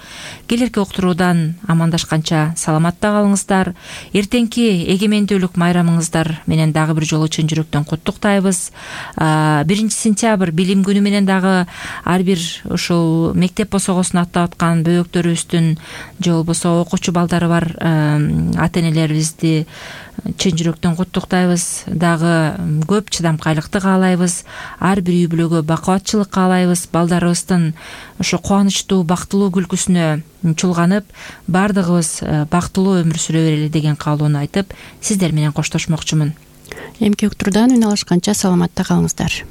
Келерки уктуруудан амандашканча саламатта калыңыздар. Эртеңки эгемендүүлүк майрамыңыздар менен дагы бир жолу чын жүрөктөн куттуктайбыз. биринчи сентябрь билим күнү менен дагы ар бир ушул мектеп босогосун аттап аткан бөбөктөрүбүздүн же болбосо окуучу балдары бар ата энелерибизди чын жүрөктөн куттуктайбыз. Дагы көп чыдамкайлыкты каалайбыз. Ар бир үй бүлөгө бакубатчылык каалайбыз. Балдарыбыздын ошо кубанычтуу, бактылуу күлкүсүнө чулганып, бардыгыбыз бактылуу өмүр сүрө берели деген каалоону айтып, сиздер менен коштошмокчумун. Эмки уктуруудан үн алышканча саламатта калыңыздар.